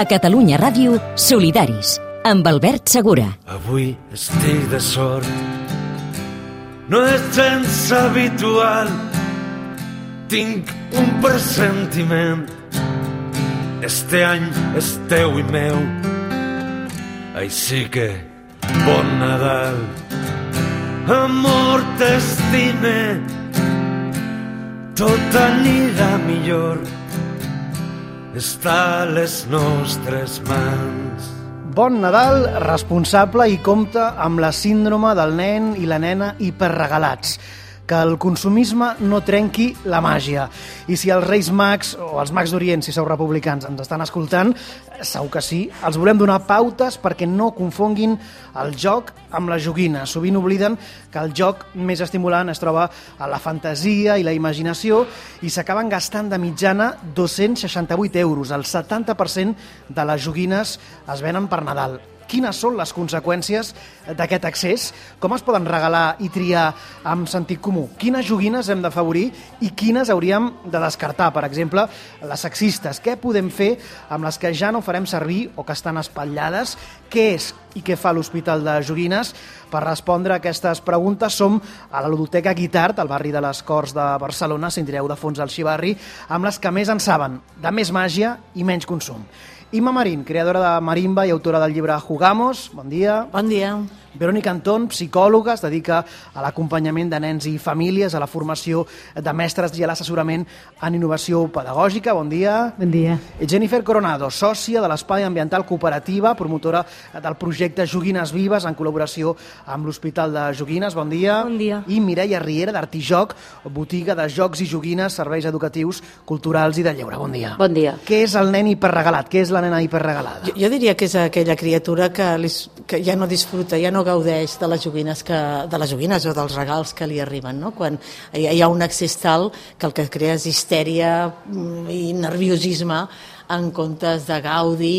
A Catalunya Ràdio, Solidaris, amb Albert Segura. Avui estic de sort, no és gens habitual, tinc un pressentiment. Este any és teu i meu, així que bon Nadal. Amor, t'estime, tot anirà millor, està a les nostres mans. Bon Nadal, responsable i compta amb la síndrome del nen i la nena hiperregalats. Que el consumisme no trenqui la màgia. I si els Reis Mags, o els Mags d'Orient, si sou republicans, ens estan escoltant, segur que sí, els volem donar pautes perquè no confonguin el joc amb la joguina. Sovint obliden que el joc més estimulant es troba a la fantasia i la imaginació i s'acaben gastant de mitjana 268 euros. El 70% de les joguines es venen per Nadal. Quines són les conseqüències d'aquest accés? Com es poden regalar i triar amb sentit comú? Quines joguines hem d'afavorir i quines hauríem de descartar? Per exemple, les sexistes. Què podem fer amb les que ja no farem servir o que estan espatllades? Què és i què fa l'Hospital de Joguines? Per respondre a aquestes preguntes som a la ludoteca Guitart, al barri de les Corts de Barcelona, sentireu de fons al xivarri, amb les que més en saben, de més màgia i menys consum. Imma Marín, creadora de Marimba i autora del llibre Jugamos. Bon dia. Bon dia. Verònica Antón, psicòloga, es dedica a l'acompanyament de nens i famílies, a la formació de mestres i a l'assessorament en innovació pedagògica. Bon dia. Bon dia. Jennifer Coronado, sòcia de l'Espai Ambiental Cooperativa, promotora del projecte Joguines Vives en col·laboració amb l'Hospital de Joguines. Bon dia. Bon dia. I Mireia Riera, d'Artijoc, botiga de jocs i joguines, serveis educatius, culturals i de lleure. Bon dia. Bon dia. Què és el nen hiperregalat? Què és la nena hiperregalada? Jo diria que és aquella criatura que ja no disfruta, ja no gaudeix de les joguines o dels regals que li arriben, no? Quan hi ha un accés tal que el que crea és histèria i nerviosisme en comptes de gaudi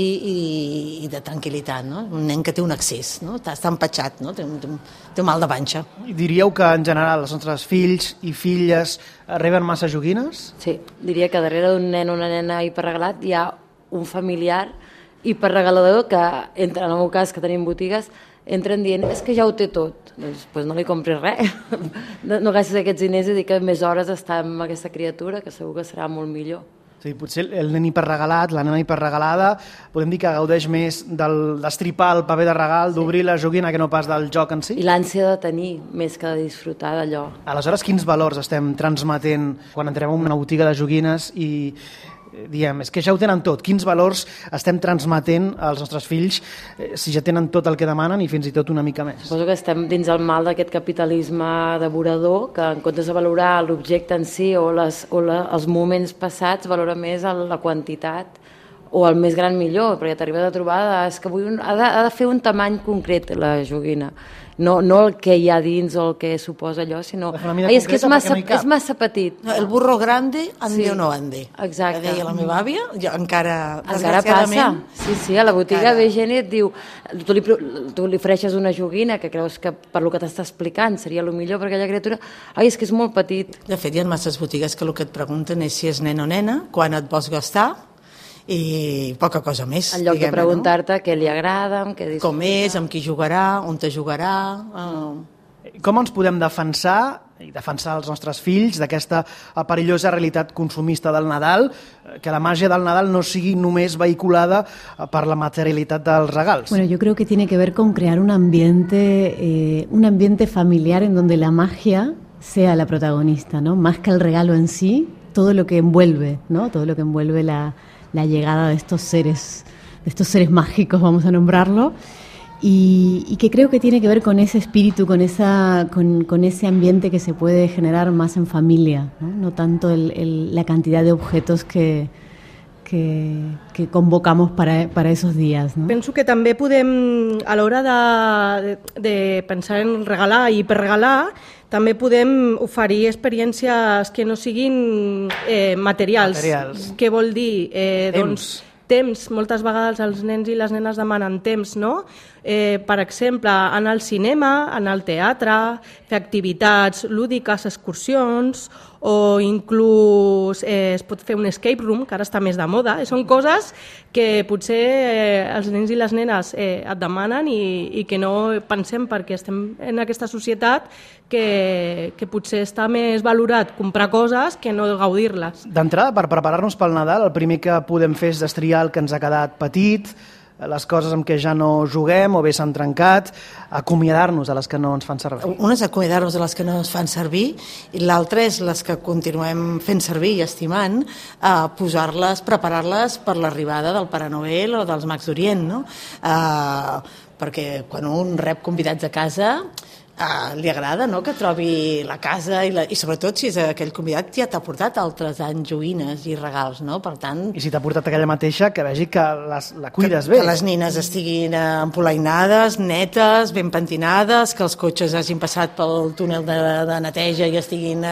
i de tranquil·litat, no? Un nen que té un accés, no? Està empatxat, no? Té un mal de panxa. Diríeu que en general els nostres fills i filles reben massa joguines? Sí, diria que darrere d'un nen o una nena hiperregalat hi ha un familiar hiperregalador que, en el meu cas, que tenim botigues, entren dient, és que ja ho té tot. Doncs no li compris res. No gastis aquests diners i dir que més hores està amb aquesta criatura, que segur que serà molt millor. Sí, potser el nen hiperregalat, la nena hiperregalada, podem dir que gaudeix més d'estripar el paper de regal, d'obrir la joguina, que no pas del joc en si? I l'ànsia de tenir, més que de disfrutar d'allò. Aleshores, quins valors estem transmetent quan entrem en una botiga de joguines i diem, és que ja ho tenen tot. Quins valors estem transmetent als nostres fills si ja tenen tot el que demanen i fins i tot una mica més? Suposo que estem dins el mal d'aquest capitalisme devorador que en comptes de valorar l'objecte en si o els moments passats valora més la quantitat o el més gran millor, perquè t'arribes a trobar és que ha de fer un tamany concret la joguina. No el que hi ha dins o el que suposa allò, sinó és que és massa petit. El burro grande ande o no ande. Exacte. Que deia la meva àvia, encara passa. Sí, a la botiga ve gent i et diu, tu li ofereixes una joguina que creus que per lo que t'està explicant seria el millor per aquella criatura, és que és molt petit. De fet, hi ha masses botigues que el que et pregunten és si és nen o nena, quan et vols gastar, i poca cosa més. En lloc de preguntar-te què li agrada, què disfruta. Com és, amb qui jugarà, on te jugarà. Com ens podem defensar i defensar els nostres fills d'aquesta perillosa realitat consumista del Nadal, que la màgia del Nadal no sigui només vehiculada per la materialitat dels regals? Bueno, yo creo que tiene que ver con crear un ambiente familiar en donde la magia sea la protagonista, ¿no? Más que el regalo en sí, todo lo que envuelve, ¿no? Todo lo que envuelve la llegada de estos seres mágicos, vamos a nombrarlo, y que creo que tiene que ver con ese espíritu, con ese ambiente que se puede generar más en familia, no tanto la cantidad de objetos que convocamos para esos días, no? Penso que també podem, a l'hora de pensar en regalar i per regalar, també podem oferir experiències que no siguin materials. Què vol dir? Doncs temps. Moltes vegades els nens i les nenes demanen temps, no? Per exemple, anar al cinema, anar al teatre, fer activitats lúdiques, excursions, o inclús es pot fer un escape room, que ara està més de moda. Són coses que potser els nens i les nenes et demanen i que no pensem perquè estem en aquesta societat que potser està més valorat comprar coses que no gaudir-les. D'entrada, per preparar-nos pel Nadal, el primer que podem fer és destriar el que ens ha quedat petit, les coses amb què ja no juguem o bé s'han trencat, acomiadar-nos de les que no ens fan servir. Una és acomiadar-nos de les que no ens fan servir i l'altra és les que continuem fent servir i estimant, posar-les, preparar-les per l'arribada del Pare Noel o dels Mags d'Orient, no? Perquè quan un rep convidats a casa li agrada, no?, que trobi la casa i sobretot si és aquell convidat ja t'ha portat altres anys joguines i regals, no? Per tant... I si t'ha portat aquella mateixa, que vegi que la cuides bé. Que les nines estiguin empolainades, netes, ben pentinades, que els cotxes hagin passat pel túnel de neteja i estiguin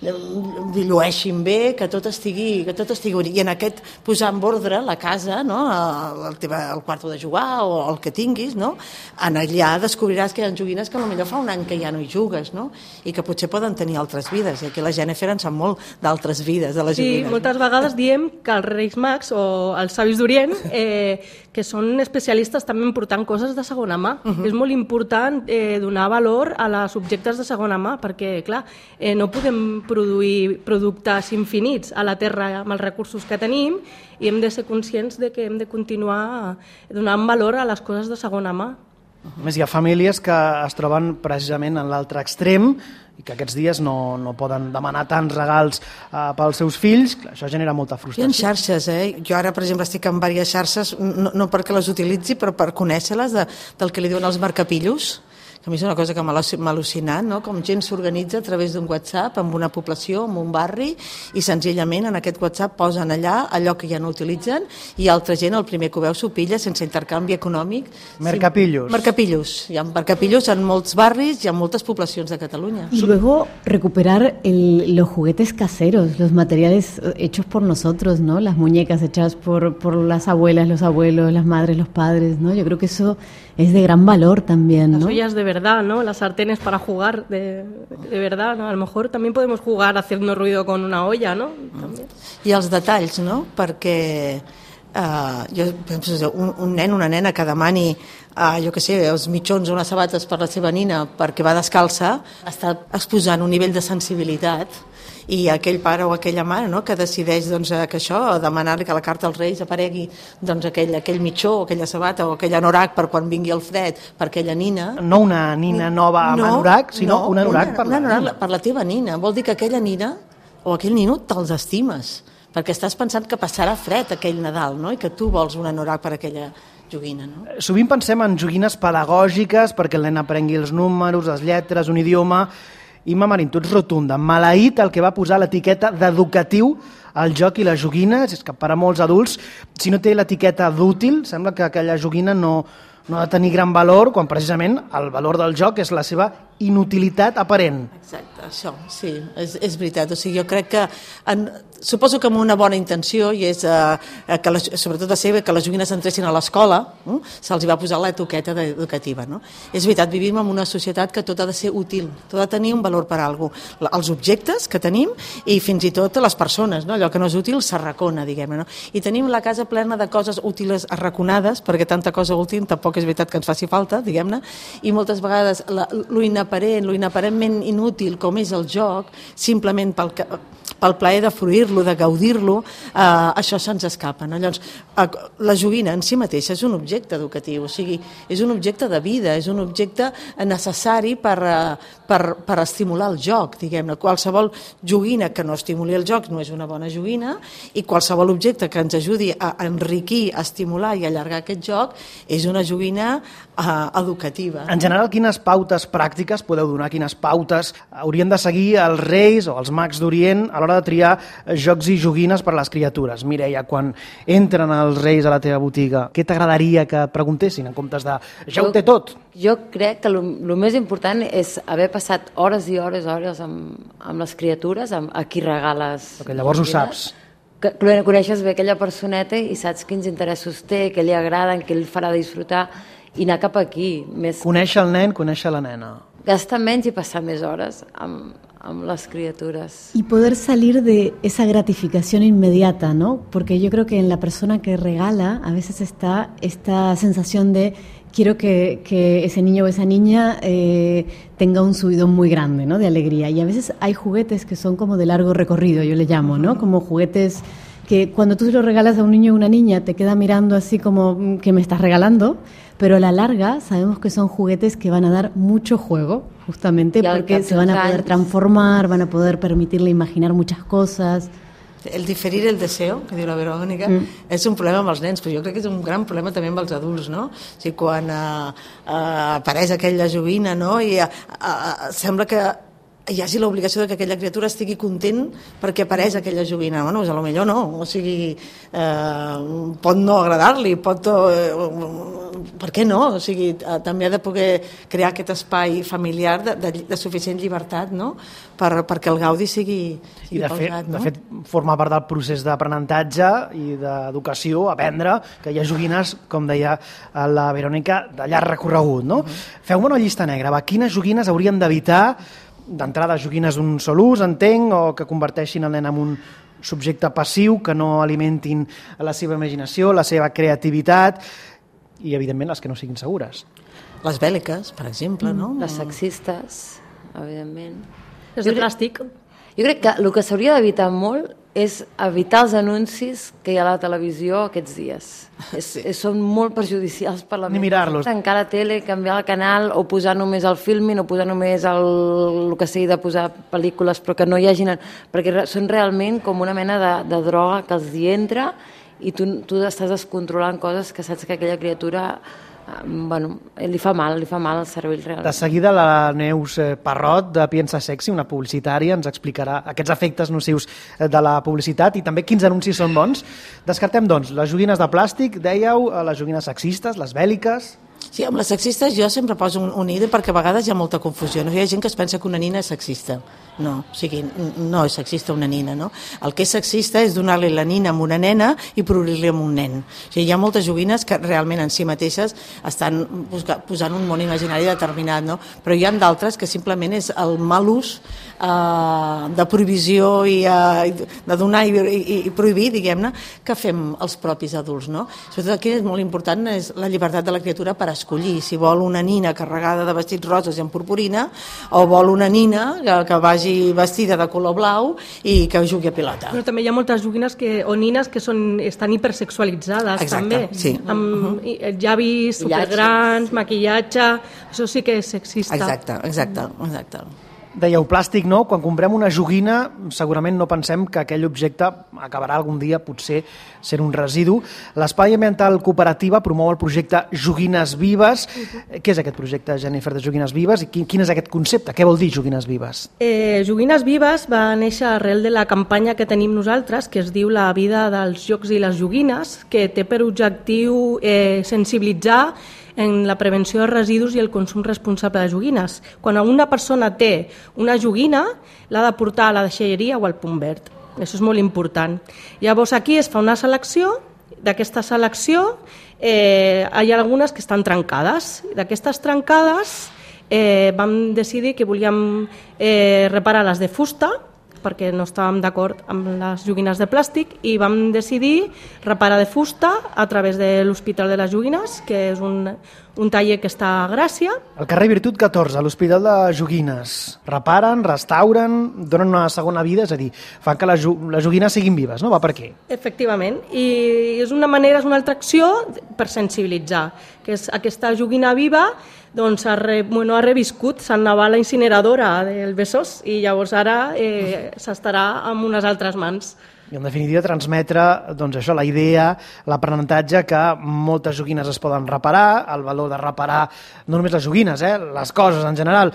llueixin bé, que tot estigui bonic. I en aquest posar en ordre la casa, no?, el quarto de jugar o el que tinguis, no?, en allà descobriràs que hi ha joguines que potser fa un any que ja no hi jugues, no? I que potser poden tenir altres vides. I aquí la Jennifer en sap molt d'altres vides de les joguines. Sí, moltes vegades diem que els Reis Mags o els Savis d'Orient que són especialistes també en portant coses de segona mà. És molt important donar valor a les objectes de segona mà perquè, clar, no podem produir productes infinits a la Terra amb els recursos que tenim i hem de ser conscients de que hem de continuar donant valor a les coses de segona mà. A més, hi ha famílies que es troben precisament en l'altre extrem i que aquests dies no poden demanar tants regals pels seus fills. Això genera molta frustració. Hi ha xarxes, Jo ara, per exemple, estic en diverses xarxes, no perquè les utilitzi, però per conèixer-les del que li diuen els marcapillos, que a mi és una cosa que m'ha al·lucinat, no? Com gent s'organitza a través d'un WhatsApp amb una població, amb un barri, i senzillament en aquest WhatsApp posen allò que ja no utilitzen i altra gent, el primer que ho veu, s'ho pilla sense intercanvi econòmic. Mercapillos. Mercapillos. Hi ha mercapillos en molts barris i en moltes poblacions de Catalunya. Y luego recuperar los juguetes caseros, los materiales hechos por nosotros, ¿no? Las muñecas hechas por las abuelas, los abuelos, las madres, los padres, ¿no? Yo creo que eso es de gran valor también, ¿no? Las ollas de verdad, ¿no? Las sartenes para jugar de verdad, ¿no? A lo mejor también podemos jugar haciendo ruido con una olla, ¿no? También. I els detalls, no? Perquè jo penso, un nen, una nena que demani jo què sé, els mitjons o unes sabates per la seva nina perquè va descalça, està exposant un nivell de sensibilitat i aquell pare o aquella mare, no?, que decideix que això, demanar-li que la carta als Reis aparegui aquell mitjó o aquella sabata o aquell anorac per quan vingui el fred per aquella nina. No una nina nova amb anorac, sinó un anorac per la teva nina. Vol dir que aquella nina o aquell nino te'ls estimes, perquè estàs pensant que passarà fred aquell Nadal, no?, i que tu vols un anorac per aquella joguina, no? Sovint pensem en joguines pedagògiques perquè el nen aprengui els números, les lletres, un idioma. Imma Marín, tu ets rotunda. Maleït el que va posar l'etiqueta d'educatiu al joc i les joguines. És que per a molts adults, si no té l'etiqueta d'útil, sembla que aquella joguina no ha de tenir gran valor, quan precisament el valor del joc és la seva inutilitat aparent. Exacte, això, sí, és veritat. O sigui, jo crec que, suposo que amb una bona intenció, i és que sobretot va ser que les joguines entressin a l'escola, se'ls va posar l'etiqueta educativa, no? És veritat, vivim en una societat que tot ha de ser útil, tot ha de tenir un valor per a alguna cosa. Els objectes que tenim i fins i tot les persones, no? Allò que no és útil s'arracona, diguem-ne, no? I tenim la casa plena de coses útils arraconades, perquè tanta cosa útil tampoc és veritat que ens faci falta, diguem-ne, i moltes vegades lo inaparentment inútil com és el joc, simplement pel plaer de fruir-lo, de gaudir-lo, això se'ns escapa, no? Llavors, la joguina en si mateixa és un objecte educatiu, o sigui, és un objecte de vida, és un objecte necessari per estimular el joc, diguem-ne. Qualsevol joguina que no estimuli el joc no és una bona joguina i qualsevol objecte que ens ajudi a enriquir, a estimular i allargar aquest joc és una joguina educativa. En general, quines pautes pràctiques podeu donar, quines pautes haurien de seguir els Reis o els Mags d'Orient a l'hora de triar jocs i joguines per a les criatures? Mireia, quan entren els Reis a la teva botiga, què t'agradaria que et preguntessin en comptes de ja ho té tot? Jo crec que el més important és haver passat hores i hores amb les criatures, a qui regales. Perquè llavors ho saps. Que coneixes bé aquella personeta i saps quins interessos té, què li agraden, què el farà disfrutar i anar cap aquí. Conèixer el nen, conèixer la nena. gastar menys i passar més hores amb les criatures. Y poder salir de esa gratificación inmediata, ¿no? Porque yo creo que en la persona que regala a veces está esta sensación de quiero que ese niño o esa niña tenga un subidón muy grande, ¿no? De alegría. Y a veces hay juguetes que son como de largo recorrido, yo le llamo, ¿no? Como juguetes que cuando tú se lo regalas a un niño o una niña te queda mirando así como que me estás regalando, pero a la larga sabemos que son juguetes que van a dar mucho juego, justamente porque se van a poder transformar, van a poder permitirle imaginar muchas cosas. El diferir el deseo, que diu la Verònica, és un problema amb els nens, però jo crec que és un gran problema també amb els adults, no? O sigui, quan apareix aquella joguina, no? I sembla que hi hagi l'obligació que aquella criatura estigui content perquè apareix aquella joguina. Bueno, doncs potser no, o sigui, pot no agradar-li, pot... Per què no? O sigui, també ha de poder crear aquest espai familiar de suficient llibertat, no? Perquè el gaudi sigui pausat, no? De fet, forma part del procés d'aprenentatge i d'educació, aprendre que hi ha joguines, com deia la Verònica, de llarg recorregut, no? Feu-me una llista negra, va, quines joguines hauríem d'evitar d'entrada joguines d'un sol ús, entenc, o que converteixin el nen en un subjecte passiu, que no alimentin la seva imaginació, la seva creativitat, i evidentment les que no siguin segures. Les bèl·liques, per exemple, no? Les sexistes, evidentment. Les de plàstic. Jo crec que el que s'hauria d'evitar molt és evitar els anuncis que hi ha a la televisió aquests dies. Són molt perjudicials per la ment. Ni mirar-los. Tancar la tele, canviar el canal, o posar només el filming, o posar només el que sigui de posar pel·lícules, però que no hi hagin... Perquè són realment com una mena de droga que els hi entra i tu estàs descontrolant coses que saps que aquella criatura... li fa mal al cervell realment. De seguida la Neus Parrot de Piensa Sexy, una publicitària, ens explicarà aquests efectes nocius de la publicitat i també quins anuncis són bons. Descartem, doncs, les joguines de plàstic, dèieu, les joguines sexistes, les bèl·liques... Sí, amb les sexistes jo sempre poso un idea perquè a vegades hi ha molta confusió. Hi ha gent que es pensa que una nina és sexista. No, o sigui, no és sexista una nina, no? El que és sexista és donar-li la nina a una nena i prohibir-li a un nen. O sigui, hi ha moltes joguines que realment en si mateixes estan posant un món imaginari determinat, no? Però hi ha d'altres que simplement és el mal ús de prohibició i de donar i prohibir, diguem-ne, que fem els propis adults, no? Sobretot aquí és molt important és la llibertat de la criatura per escollir si vol una nina carregada de vestits roses i amb purpurina o vol una nina que vagi vestida de color blau i que jugui a pilota. Però també hi ha moltes joguines o nines que estan hipersexualitzades. Exacte, també. Sí. Amb llavis supergrans, maquillatge, això sí que és sexista. Exacte. Dèieu plàstic, no? Quan comprem una joguina segurament no pensem que aquell objecte acabarà algun dia potser sent un residu. L'Espai Ambiental Cooperativa promou el projecte Joguines Vives. Què és aquest projecte, Jennifer, de Joguines Vives? I quin és aquest concepte? Què vol dir Joguines Vives? Joguines Vives va néixer arrel de la campanya que tenim nosaltres, que es diu La vida dels jocs i les joguines, que té per objectiu sensibilitzar en la prevenció de residus i el consum responsable de joguines. Quan una persona té una joguina, l'ha de portar a la deixalleria o al punt verd. Això és molt important. Llavors aquí es fa una selecció, d'aquesta selecció hi ha algunes que estan trencades. D'aquestes trencades vam decidir que volíem reparar les de fusta, perquè no estàvem d'acord amb les joguines de plàstic i vam decidir reparar de fusta a través de l'Hospital de les Joguines, que és un taller que està a Gràcia. Al carrer Virtut 14, a l'Hospital de Joguines. Reparen, restauren, donen una segona vida, és a dir, fan que les joguines siguin vives, no? Va per aquí. Efectivament, i és una altra acció per sensibilitzar, que és aquesta joguina viva doncs ha reviscut, se'n anava a la incineradora del Besòs i llavors ara s'estarà en unes altres mans. I en definitiva transmetre doncs això, la idea, l'aprenentatge que moltes joguines es poden reparar, el valor de reparar no només les joguines, les coses en general,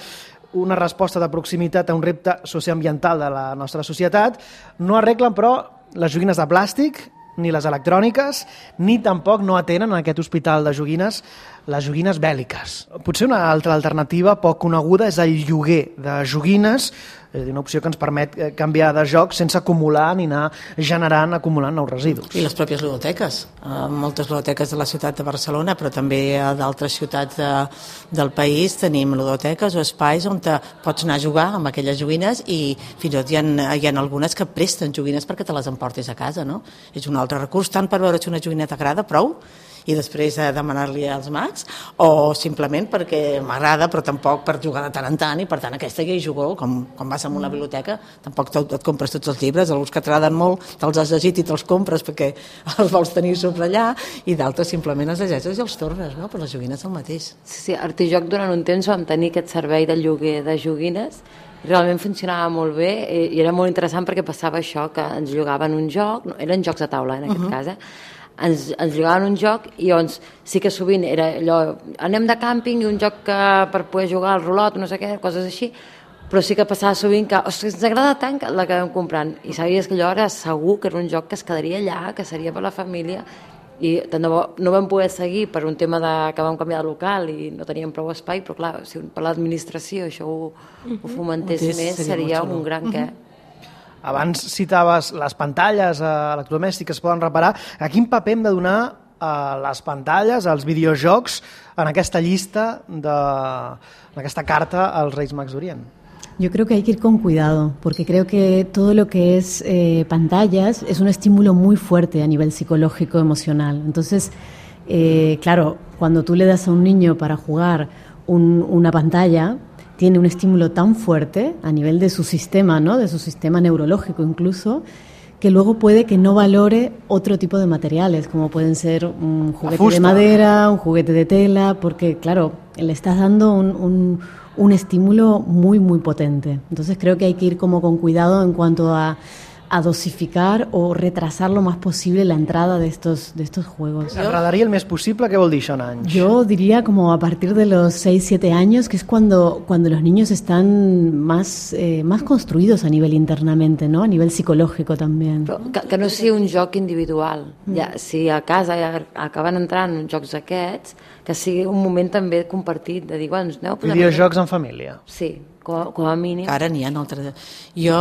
una resposta de proximitat a un repte socioambiental de la nostra societat. No arreglen, però, les joguines de plàstic, ni les electròniques, ni tampoc no atenen en aquest hospital de joguines les joguines bèl·liques. Potser una altra alternativa poc coneguda és el lloguer de joguines, és a dir, una opció que ens permet canviar de joc sense acumular ni anar acumulant nous residus. I les pròpies ludoteques. Moltes ludoteques de la ciutat de Barcelona, però també a d'altres ciutats del país tenim ludoteques o espais on pots anar a jugar amb aquelles joguines i fins i tot hi ha algunes que presten joguines perquè te les emportis a casa, no? És un altre recurs, tant per veure si una joguina t'agrada, prou, i després demanar-li als mags, o simplement perquè m'agrada però tampoc per jugar de tant en tant, i per tant aquesta ja hi jugo, com vas a una biblioteca tampoc et compres tots els llibres, alguns que t'agraden molt te'ls has llegit i te'ls compres perquè els vols tenir sobre allà, i d'altres simplement els llegeixes i els tornes, no? Però les joguines el mateix. Sí, a Artijoc durant un temps vam tenir aquest servei de lloguer de joguines, realment funcionava molt bé i era molt interessant perquè passava això, que ens llogaven un joc, eren jocs de taula en aquest cas, ens llogaven un joc i llavors sí que sovint era allò, anem de càmping i un joc per poder jugar al rulot, no sé què, coses així, però sí que passava sovint que, ostres, ens agrada tant que l'acabem comprant, i sabies que allò era segur que era un joc que es quedaria allà, que seria per la família, i no vam poder seguir per un tema que vam canviar de local i no teníem prou espai, però clar, si per l'administració això ho fomentés més, seria un gran què. Abans citaves les pantalles electrodomèstiques que es poden reparar. A quin paper hem de donar les pantalles, els videojocs, en aquesta llista, en aquesta carta als Reis Mags d'Orient? Yo creo que hay que ir con cuidado, porque creo que todo lo que es pantallas es un estímulo muy fuerte a nivel psicológico, emocional. Entonces, claro, cuando tú le das a un niño para jugar una pantalla, tiene un estímulo tan fuerte a nivel de su sistema, ¿no? De su sistema neurológico incluso, que luego puede que no valore otro tipo de materiales, como pueden ser un juguete de madera, un juguete de tela, porque, claro, le estás dando un estímulo muy, muy potente. Entonces creo que hay que ir como con cuidado en cuanto a dosificar o retrasar lo más posible la entrada de estos juegos. T'agradaria el més possible? Què vol dir això en anys? Yo diría como a partir de los 6-7 años, que es cuando los niños están más construidos a nivel internamente, ¿no? A nivel psicológico también. Però que no sigui un joc individual. Ja, si a casa ja acaben entrant jocs aquests, que sigui un moment també compartit, de dir, bueno, aneu a posar... Videojocs en família. Sí, com a mínim. Ara n'hi ha altres. Jo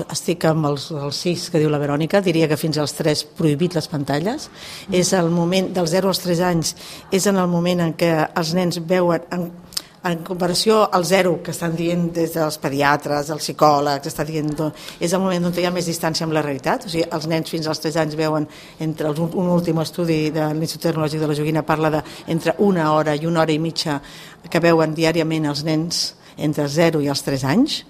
estic amb els 6 que diu la Verònica, diria que fins als 3 prohibit les pantalles. És el moment, dels 0 als 3 anys, és en el moment en què els nens veuen, en comparació al 0 que estan dient des dels pediatres, els psicòlegs, està dient, és el moment on hi ha més distància amb la realitat. O sigui, els nens fins als 3 anys veuen, entre un últim estudi de l'Institut Tecnològic de la Joguina parla d'entre 1 hora i 1 hora i mitja que veuen diàriament els nens entre els 0 i els 3 anys.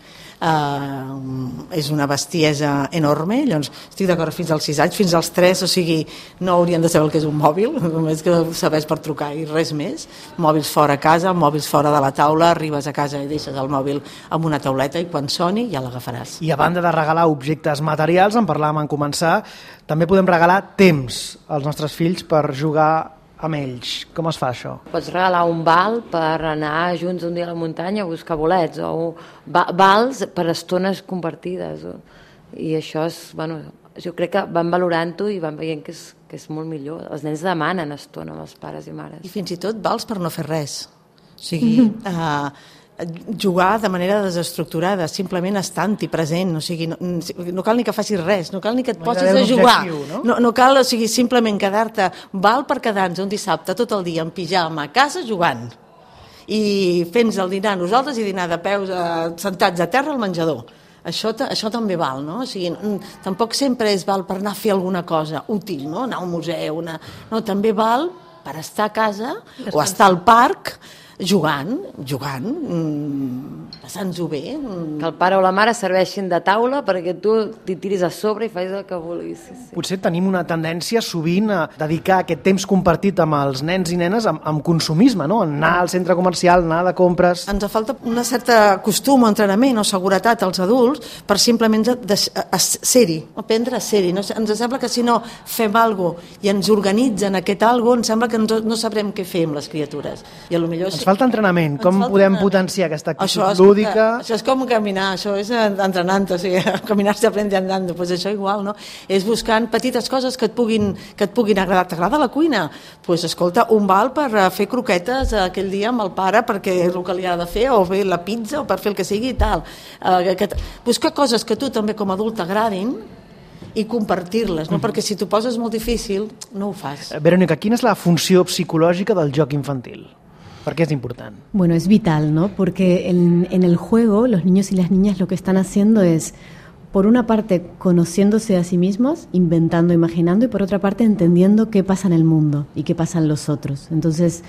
És una bestiesa enorme, llavors estic d'acord fins als 6 anys, fins als 3, o sigui, no haurien de saber el que és un mòbil, només que sabés per trucar i res més. Mòbils fora a casa, mòbils fora de la taula, arribes a casa i deixes el mòbil amb una tauleta i quan soni ja l'agafaràs. I a banda de regalar objectes materials, en parlàvem en començar, també podem regalar temps als nostres fills per jugar amb ells. Com es fa això? Pots regalar un val per anar junts un dia a la muntanya a buscar bolets, o vals per estones compartides. I això és, bueno, jo crec que van valorant-ho i van veient que és molt millor. Els nens demanen estona amb els pares i mares. I fins i tot vals per no fer res. O sigui, jugar de manera desestructurada, simplement estant-hi present, o sigui, no cal ni que facis res, no cal ni que et posis a jugar, no cal, o sigui, simplement quedar-te, val per quedar-nos un dissabte tot el dia en pijama a casa jugant i fent-nos el dinar nosaltres i dinar de peus sentats a terra al menjador. Això també val, no? O sigui, tampoc sempre és val per anar a fer alguna cosa útil, no? Anar a un museu, no, també val per estar a casa o estar al parc jugant, passant-ho bé. Que el pare o la mare serveixin de taula perquè tu t'hi tiris a sobre i facis el que vulguis. Sí. Potser tenim una tendència sovint a dedicar aquest temps compartit amb els nens i nenes amb consumisme, no? Anar al centre comercial, anar de compres... Ens falta una certa costum o entrenament o seguretat als adults per simplement ser-hi, aprendre a ser-hi. Ens sembla que si no fem alguna cosa i ens organitzen aquest alguna cosa, ens sembla que no sabrem què fer amb les criatures. I potser falta entrenament. Com podem potenciar aquesta actitud lúdica? lúdica... Això és com caminar, això és entrenant, o sigui, caminar se aprende andando, pues això igual, no? És buscant petites coses que et puguin agradar. T'agrada la cuina? Pues escolta, un val per fer croquetes aquell dia amb el pare perquè és el que li ha de fer, o fer la pizza, o per fer el que sigui i tal. Buscar coses que tu també com a adult t'agradin i compartir-les, no? Perquè si t'ho poses molt difícil, no ho fas. Verónica, quina és la funció psicològica del joc infantil? ¿Por qué es importante? Bueno, es vital, ¿no? Porque en el juego los niños y las niñas lo que están haciendo es, por una parte, conociéndose a sí mismos, inventando, imaginando, y por otra parte, entendiendo qué pasa en el mundo y qué pasa en los otros. Entonces,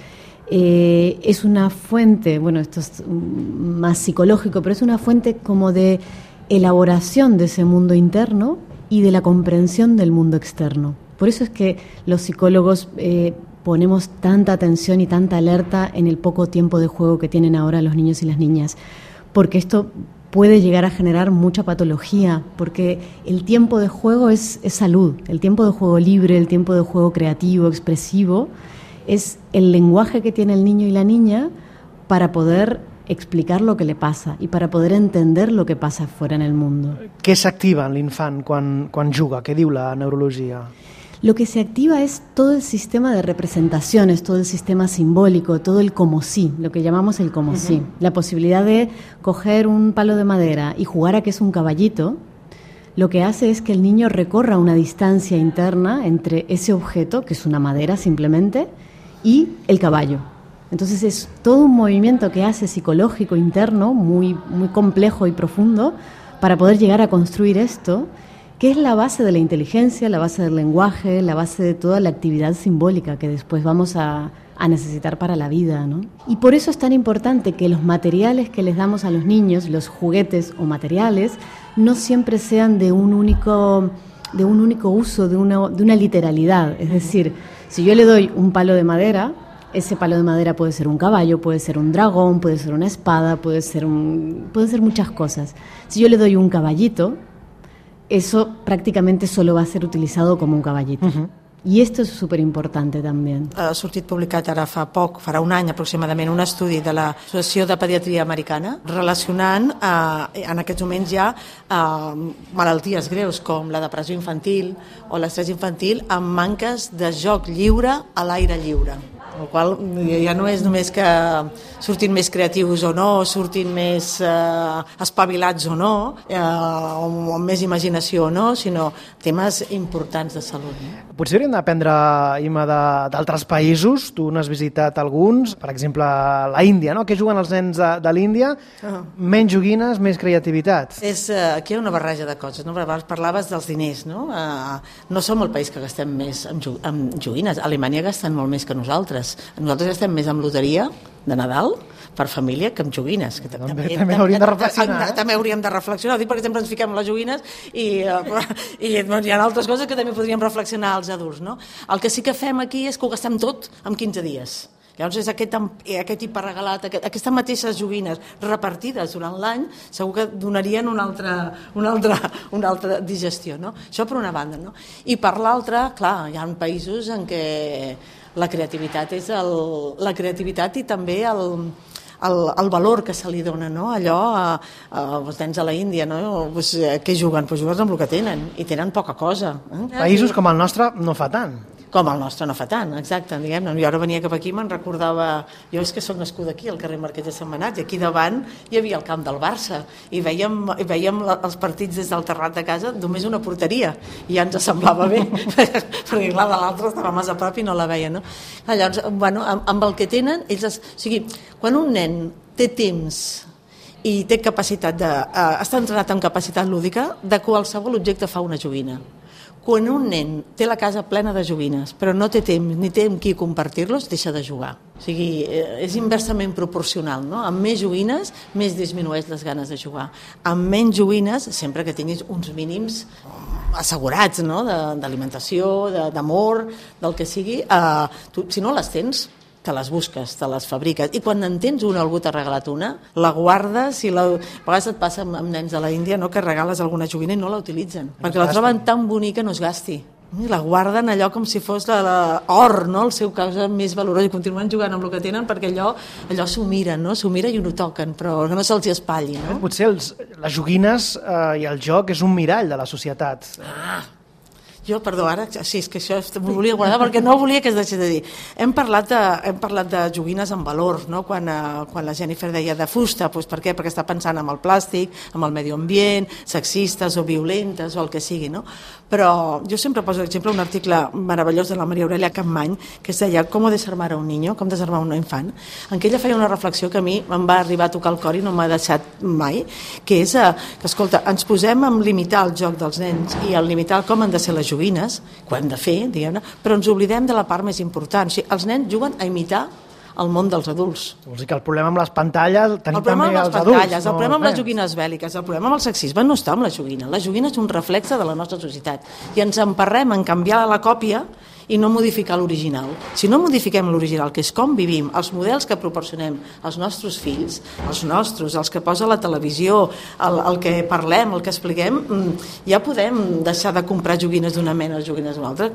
es una fuente, bueno, esto es más psicológico, pero es una fuente como de elaboración de ese mundo interno y de la comprensión del mundo externo. Por eso es que los psicólogos ponemos tanta atención y tanta alerta en el poco tiempo de juego que tienen ahora los niños y las niñas, porque esto puede llegar a generar mucha patología, porque el tiempo de juego es salud, el tiempo de juego libre, el tiempo de juego creativo, expresivo, es el lenguaje que tiene el niño y la niña para poder explicar lo que le pasa y para poder entender lo que pasa fuera en el mundo. Què s'activa en l'infant quan juga? Què diu la neurologia? Lo que se activa es todo el sistema de representaciones, todo el sistema simbólico, todo el como sí, lo que llamamos el como sí. La posibilidad de coger un palo de madera y jugar a que es un caballito, lo que hace es que el niño recorra una distancia interna entre ese objeto, que es una madera simplemente, y el caballo. Entonces es todo un movimiento que hace psicológico interno, muy, muy complejo y profundo, para poder llegar a construir esto, que es la base de la inteligencia, la base del lenguaje, la base de toda la actividad simbólica que después vamos a necesitar para la vida, ¿no? Y por eso es tan importante que los materiales que les damos a los niños, los juguetes o materiales, no siempre sean de un único uso, de una literalidad. Es decir, si yo le doy un palo de madera, ese palo de madera puede ser un caballo, puede ser un dragón, puede ser una espada, puede ser muchas cosas. Si yo le doy un caballito, eso prácticamente solo va a ser utilizado como un caballito. I esto és superimportante també. Ha sortit publicat ara farà un any aproximadament, un estudi de l'Associació de Pediatria Americana relacionant en aquests moments ja malalties greus com la depressió infantil o l'estrès infantil amb manques de joc lliure a l'aire lliure. El qual ja no és només que surtin més creatius o no, surtin més espavilats o no, o amb més imaginació o no, sinó temes importants de salut. Potser hauríem d'aprendre, Imma, d'altres països. Tu n'has visitat alguns, per exemple, la Índia, no? Què juguen els nens de l'Índia? Menys joguines, més creativitat. Aquí hi ha una barreja de coses, no? Abans parlaves dels diners, no? No som el país que gastem més en joguines. A Alemanya gasten molt més que nosaltres. Nosaltres estem més amb loteria de Nadal per família que amb joguines. Que també hauríem de reflexionar. També hauríem de reflexionar. Dic perquè sempre ens fiquem les joguines i hi ha altres coses que també podríem reflexionar als adults. No? El que sí que fem aquí és que ho gastem tot en 15 dies. Llavors és aquest hiperregalat, aquestes mateixes joguines repartides durant l'any segur que donarien una altra digestió. No? Això per una banda. No? I per l'altra, clar, hi ha països en què la creativitat és la creativitat i també el valor que se li dona, no? Allò, els nens a la Índia, no? Pues, què juguen? Pues juguen amb el que tenen, i tenen poca cosa. Països com el nostre no fa tant. Com el nostre no fa tant, exacte, diguem-ne. Jo ara venia cap aquí i me'n recordava... Jo és que soc nascuda aquí, al carrer Marquès de Sentmenat, i aquí davant hi havia el camp del Barça, i veiem els partits des del terrat de casa, només una porteria, i ja ens semblava bé, perquè clar, de l'altre estava massa a prop i no la veia, no? Llavors, bueno, amb el que tenen, ells... O sigui, quan un nen té temps i té capacitat està entrenat amb capacitat lúdica, de qualsevol objecte fa una joguina. Quan un nen té la casa plena de joguines però no té temps ni té amb qui compartir-los, deixa de jugar. O sigui, és inversament proporcional, no? Amb més joguines, més disminueix les ganes de jugar. Amb menys joguines, sempre que tinguis uns mínims assegurats, no? D'alimentació, d'amor, del que sigui, si no les tens, te les busques, te les fabriques, i quan en tens una, algú t'ha regalat una, la guardes, i a vegades et passa amb nens de la Índia, no? Que regales alguna joguina i no la utilitzen, perquè la troben tan bonica no es gasti. La guarden allò com si fos l'or, no? El seu cosa més valorós, i continuen jugant amb el que tenen perquè allò s'ho miren, no? S'ho miren i ho toquen, però que no se'ls espatlli, no? Potser les joguines i el joc és un mirall de la societat. Perdó, ara, sí, és que això m'ho volia guardar perquè no volia que es deixés de dir. Hem parlat de joguines amb valor, no? Quan la Jennifer deia de fusta, doncs per què? Perquè està pensant en el plàstic, en el medi ambient, sexistes o violentes o el que sigui, no? Però jo sempre poso l'exemple un article meravellós de la Maria Aurelia Capmany que es deia Com desarmar a un niño, com desarmar un infant, en què ella feia una reflexió que a mi em va arribar a tocar el cor i no m'ha deixat mai, que és que, escolta, ens posem a limitar el joc dels nens i a limitar com han de ser les joguines, que ho hem de fer, diguem-ne, però ens oblidem de la part més important. O sigui, els nens juguen a imitar el món dels adults. Vols dir que el problema amb les pantalles tenim també els adults. El problema amb les joguines bèl·liques, el problema amb el sexisme no està amb la joguina. La joguina és un reflexe de la nostra societat i ens emparrem en canviar la còpia i no modificar l'original. Si no modifiquem l'original, que és com vivim, els models que proporcionem als nostres fills, els que posa la televisió, el que parlem, el que expliquem, ja podem deixar de comprar joguines d'una mena o joguines d'una altra,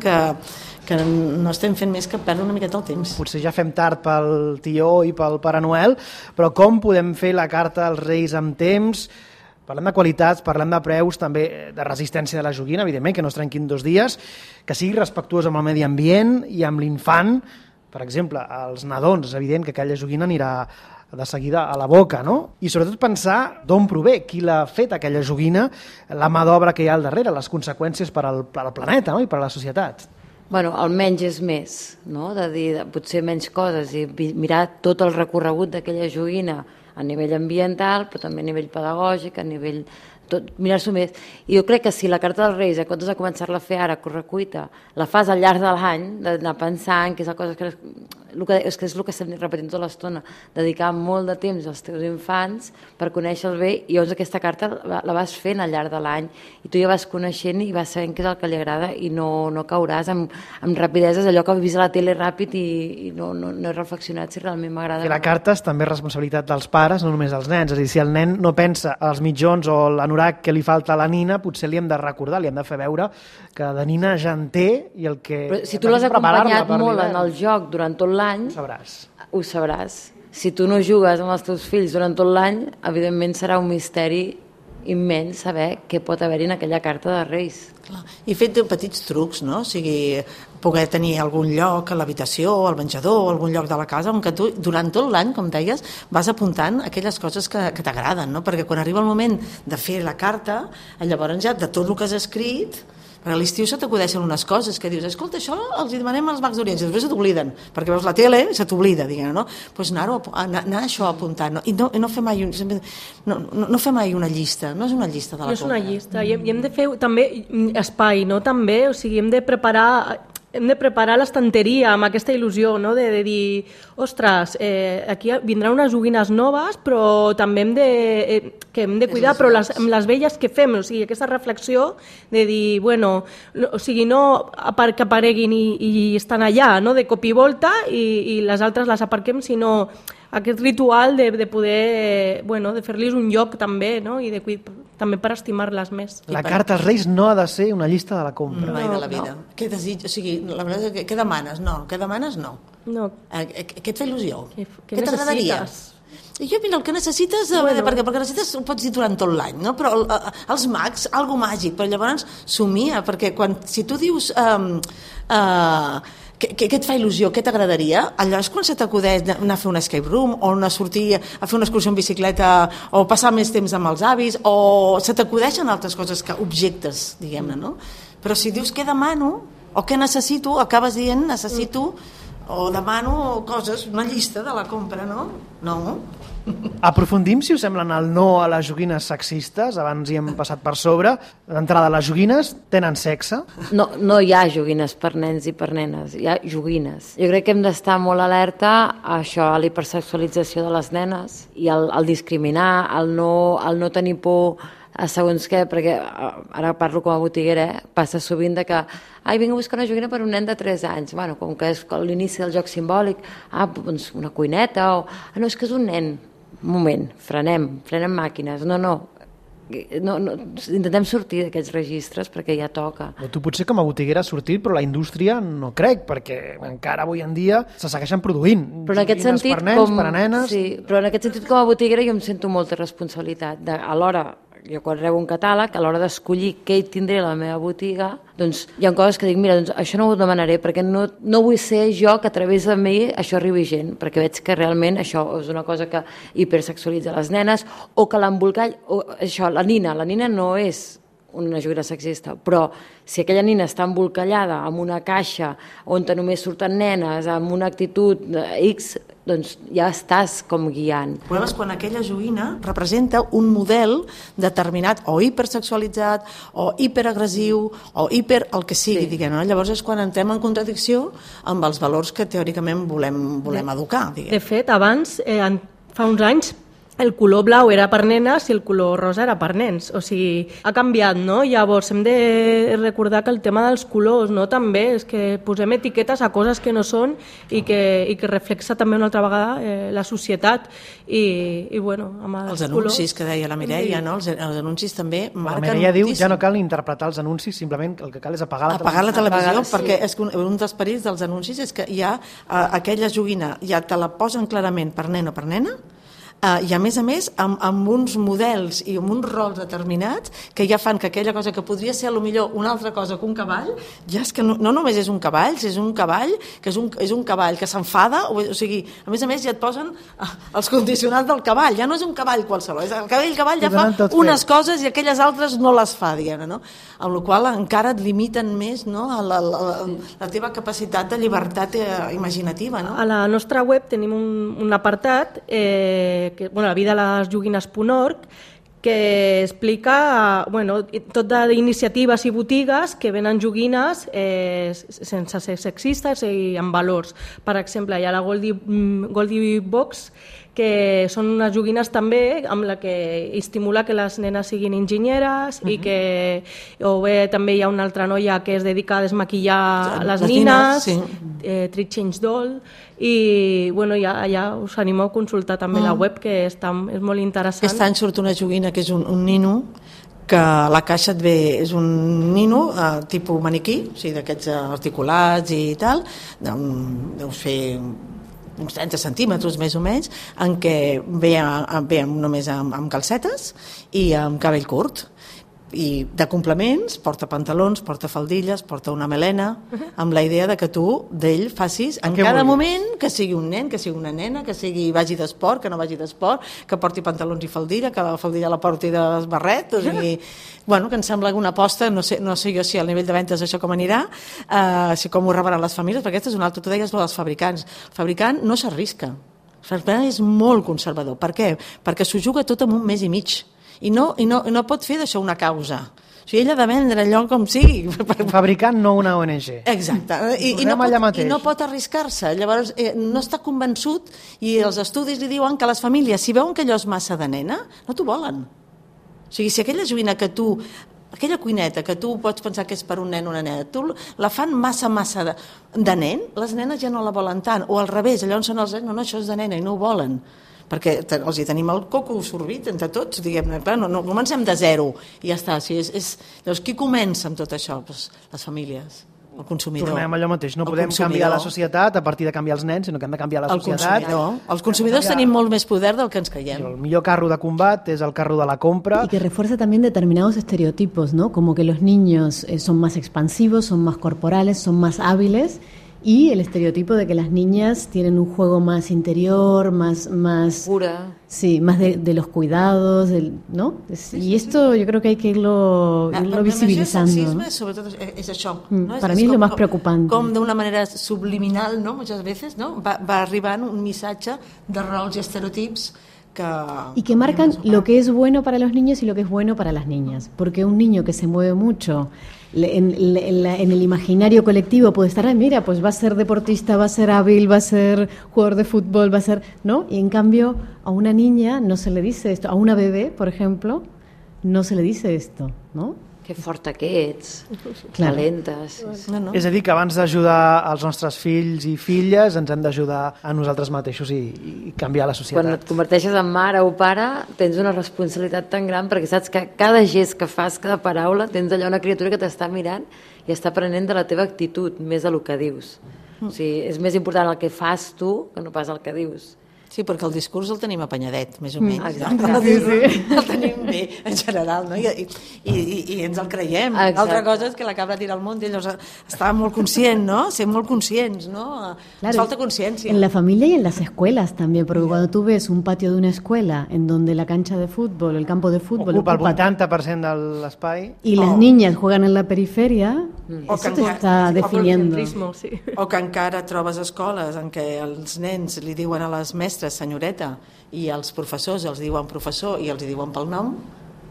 que no estem fent més que perdre una miqueta el temps. Potser ja fem tard pel tió i pel Pare Noel, però com podem fer la carta als Reis amb temps? Parlem de qualitats, parlem de preus, també de resistència de la joguina, evidentment, que no es trenquin 2 dies, que sigui respectuós amb el medi ambient i amb l'infant. Per exemple, als nadons, és evident que aquella joguina anirà de seguida a la boca, no? I sobretot pensar d'on prové, qui l'ha fet aquella joguina, la mà d'obra que hi ha al darrere, les conseqüències per al planeta, no? I per a la societat. Bueno, el menys és més, no? De dir potser menys coses i mirar tot el recorregut d'aquella joguina a nivell ambiental, però també a nivell pedagògic, a nivell mirar-s'ho més. I jo crec que si la Carta dels Reis, en comptes de començar-la a fer ara, a correcuita, la fas al llarg de l'any, d'anar pensant que és la cosa que és el que estem repetint tota l'estona, dedicar molt de temps als teus infants per conèixer-los bé, i llavors aquesta carta la vas fent al llarg de l'any i tu ja vas coneixent i vas sabent què és el que li agrada i no cauràs amb rapideses, allò que has vist a la tele ràpid i no he reflexionat si realment m'agrada. I la carta és també responsabilitat dels pares, no només dels nens, és a dir, si el nen no pensa als mitjons o l'anorac que li falta a la nina, potser li hem de recordar, li hem de fer veure que de nina ja en té i el que... Però si tu l'has acompanyat molt en el joc durant tot l'any, ho sabràs. Si tu no jugues amb els teus fills durant tot l'any, evidentment serà un misteri immens saber què pot haver-hi en aquella carta de Reis. Clar. I fet petits trucs, no? O sigui, poder tenir algun lloc a l'habitació, al menjador, algun lloc de la casa, on que tu durant tot l'any, com deies, vas apuntant aquelles coses que t'agraden, no? Perquè quan arriba el moment de fer la carta, llavors ja de tot el que has escrit, perquè a l'estiu se t'acudeixen unes coses que dius, escolta, això els hi demanem als Mags d'Orient, i després se t'obliden, perquè veus la tele i se t'oblida, diguem, no? Doncs anar això apuntant, no? I no fer mai no fer mai una llista, no és una llista de la compra. No és una llista, i hem de fer també espai, no? També, o sigui, hem de preparar l'estanteria amb aquesta il·lusió, no? De dir, ostres, aquí vindran unes joguines noves, però també hem de cuidar, però amb les velles que fem, o sigui, aquesta reflexió de dir, bueno, o sigui, no que apareguin i estan allà, no? De cop i volta, i les altres les aparquem, sinó aquest ritual de poder, bueno, de fer-los un lloc també, no? I també per estimar-les més. La carta als Reis no ha de ser una llista de la compra. Mai de la vida. No. Què desig? O sigui, la veritat és que què demanes? No. Què demanes? No. Què et fa il·lusió? Què t'agradaria? I jo, mira, el que necessites, perquè necessites ho pots dir durant tot l'any, no? Però els mags, algo màgic, però llavors somia, perquè si tu dius què et fa il·lusió, què t'agradaria, allò és quan se t'acudeix anar a fer un escape room o sortir a fer una excursió en bicicleta o passar més temps amb els avis, o se t'acudeixen altres coses, objectes, diguem-ne, no? Però si dius què demano o què necessito, acabes dient necessito o demano coses, una llista de la compra, no? No. Aprofundim, si us sembla, en el no a les joguines sexistes. Abans hi hem passat per sobre. D'entrada, les joguines tenen sexe? No hi ha joguines per nens i per nenes, hi ha joguines. Jo crec que hem d'estar molt alerta a això, a l'hipersexualització de les nenes i al discriminar, al no tenir por a segons què, perquè ara parlo com a botiguera, passa sovint de que vinc a buscar una joguina per un nen de 3 anys. Bueno, com que és l'inici del joc simbòlic, doncs una cuineta, no, és que és un nen. Un moment, frenem màquines. No, intentem sortir d'aquests registres perquè ja toca. O tu potser com a botiguera has sortit, però la indústria no crec, perquè encara avui en dia se segueixen produint. Però en aquest sentit, per nens, per a nenes... Sí, però en aquest sentit com a botiguera jo em sento molta responsabilitat. A l'hora, jo quan rebo un catàleg, a l'hora d'escollir què hi tindré a la meva botiga, doncs hi ha coses que dic, mira, doncs això no ho demanaré, perquè no vull ser jo que a través de mi això arribi gent, perquè veig que realment això és una cosa que hipersexualitza les nenes, o que l'embolcall, o això, la nina no és una joguina sexista, però si aquella nina està embolcallada amb una caixa on només surten nenes, amb una actitud X, doncs ja estàs com guiant. El problema és quan aquella joguina representa un model determinat o hipersexualitzat o hiperagressiu o hiper el que sigui, diguem, no? Llavors és quan entrem en contradicció amb els valors que teòricament volem educar. Diguem. De fet, abans, fa uns anys, el color blau era per nenes i el color rosa era per nens. O sigui, ha canviat, no? Llavors hem de recordar que el tema dels colors, no? També és que posem etiquetes a coses que no són i que reflexa també una altra vegada la societat. I bueno, amb els anuncis colors... que deia la Mireia, no? Els anuncis també marquen la Mireia diu moltíssim. ja no cal ni interpretar els anuncis, simplement el que cal és apagar la televisió, perquè és que un dels perills dels anuncis és que ja aquella joguina ja te la posen clarament per nen o per nena, i a més amb uns models i amb uns rols determinats que ja fan que aquella cosa que podria ser potser una altra cosa que un cavall, ja és que no només és un cavall, és un cavall que és un cavall que s'enfada, o sigui, a més ja et posen els condicionants del cavall, ja no és un cavall qualsevol, el cavall ja fa unes coses i aquelles altres no les fa, diguem, no? Amb la qual encara et limiten més, no? la teva capacitat de llibertat imaginativa, no? A la nostra web tenim un apartat la vida a les joguines.org, que explica tot d'iniciatives i botigues que venen joguines sense ser sexistes i amb valors. Per exemple, hi ha la Goldie Box, que són unes joguines també amb la que estimula que les nenes siguin enginyeres i que o bé també hi ha una altra noia que es dedica a desmaquillar les nines, Treat Change Doll, i ja us animo a consultar també la web, que és molt interessant. Aquest any surt una joguina que és un nino, que a la caixa et ve, és un nino tipus maniquí, o sigui, d'aquests articulats i tal, deus fer uns 30 centímetres més o menys, en què ve només amb calcetes i amb cabell curt. I de complements, porta pantalons, porta faldilles, porta una melena, amb la idea de que tu d'ell facis en cada moment, que sigui un nen, que sigui una nena, que vagi d'esport, que no vagi d'esport, que porti pantalons i faldilla, que la faldilla la porti de barret, o sigui, que em sembla una aposta, no sé jo si al nivell de ventes això com anirà, si com ho rebran les famílies, perquè aquesta és una altra, tu deies dels fabricants. El fabricant no s'arrisca, el fabricant és molt conservador. Per què? Perquè s'ho juga tot en un mes i mig. I no pot fer d'això una causa. O sigui, ell ha de vendre allò com sigui. Un fabricant, no una ONG. Exacte. I no pot arriscar-se. Llavors, no està convençut i els estudis li diuen que les famílies, si veuen que allò és massa de nena, no t'ho volen. O sigui, si aquella joguina que tu... Aquella cuineta que tu pots pensar que és per un nen o una nena, tu la fan massa de nen, les nenes ja no la volen tant. O al revés, allà on són els nens, no, això és de nena i no ho volen. Perquè els hi tenim el coco sorbit entre tots, diguem-ne, no comencem de zero i ja està. Llavors, qui comença amb tot això? Les famílies, el consumidor. Tornem allò mateix, no podem canviar la societat a partir de canviar els nens, sinó que hem de canviar la societat. Els consumidors tenim molt més poder del que ens creiem. El millor carro de combat és el carro de la compra. Y que refuerza también determinados estereotipos, ¿no? Como que los niños son más expansivos, son más corporales, son más hábiles, y el estereotipo de que las niñas tienen un juego más interior, más pura. Sí, más de los cuidados, ¿no? Y esto yo creo que hay que irlo visibilizando. El sexisme, sobretot, és això. No? Para mí es lo más preocupante. Com d'una manera subliminal, ¿no? Muchas veces, ¿no? Va arribant un missatge de rols i estereotips y que marcan lo que es bueno para los niños y lo que es bueno para las niñas. Porque un niño que se mueve mucho en el imaginario colectivo puede estar, mira, pues va a ser deportista, va a ser hábil, va a ser jugador de fútbol, va a ser, ¿no? Y en cambio a una niña no se le dice esto, a una bebé, por ejemplo, no se le dice esto, ¿no? Que forta que ets, calentes. No. És a dir, que abans d'ajudar els nostres fills i filles ens hem d'ajudar a nosaltres mateixos i canviar la societat. Quan et converteixes en mare o pare tens una responsabilitat tan gran perquè saps que cada gest que fas, cada paraula, tens allà una criatura que t'està mirant i està aprenent de la teva actitud més del que dius. O sigui, és més important el que fas tu que no pas el que dius. Sí, perquè el discurs el tenim apanyadet, més o menys. Exacte. El tenim bé, en general, no? I ens el creiem. L'altra cosa és que la cabra tira al món i llavors estava molt conscient, ¿no? Ser molt conscients, ¿no? Nos falta conciencia. En la familia y en las escuelas también, porque cuando tú ves un patio de una escuela en donde la cancha de fútbol, el campo de fútbol ocupa el 80% de l'espai y las niñas juegan en la periferia, eso te está definiendo. O que encara trobes escoles en què els nens li diuen a les mestres senyoreta i els professors els diuen professor i els diuen pel nom.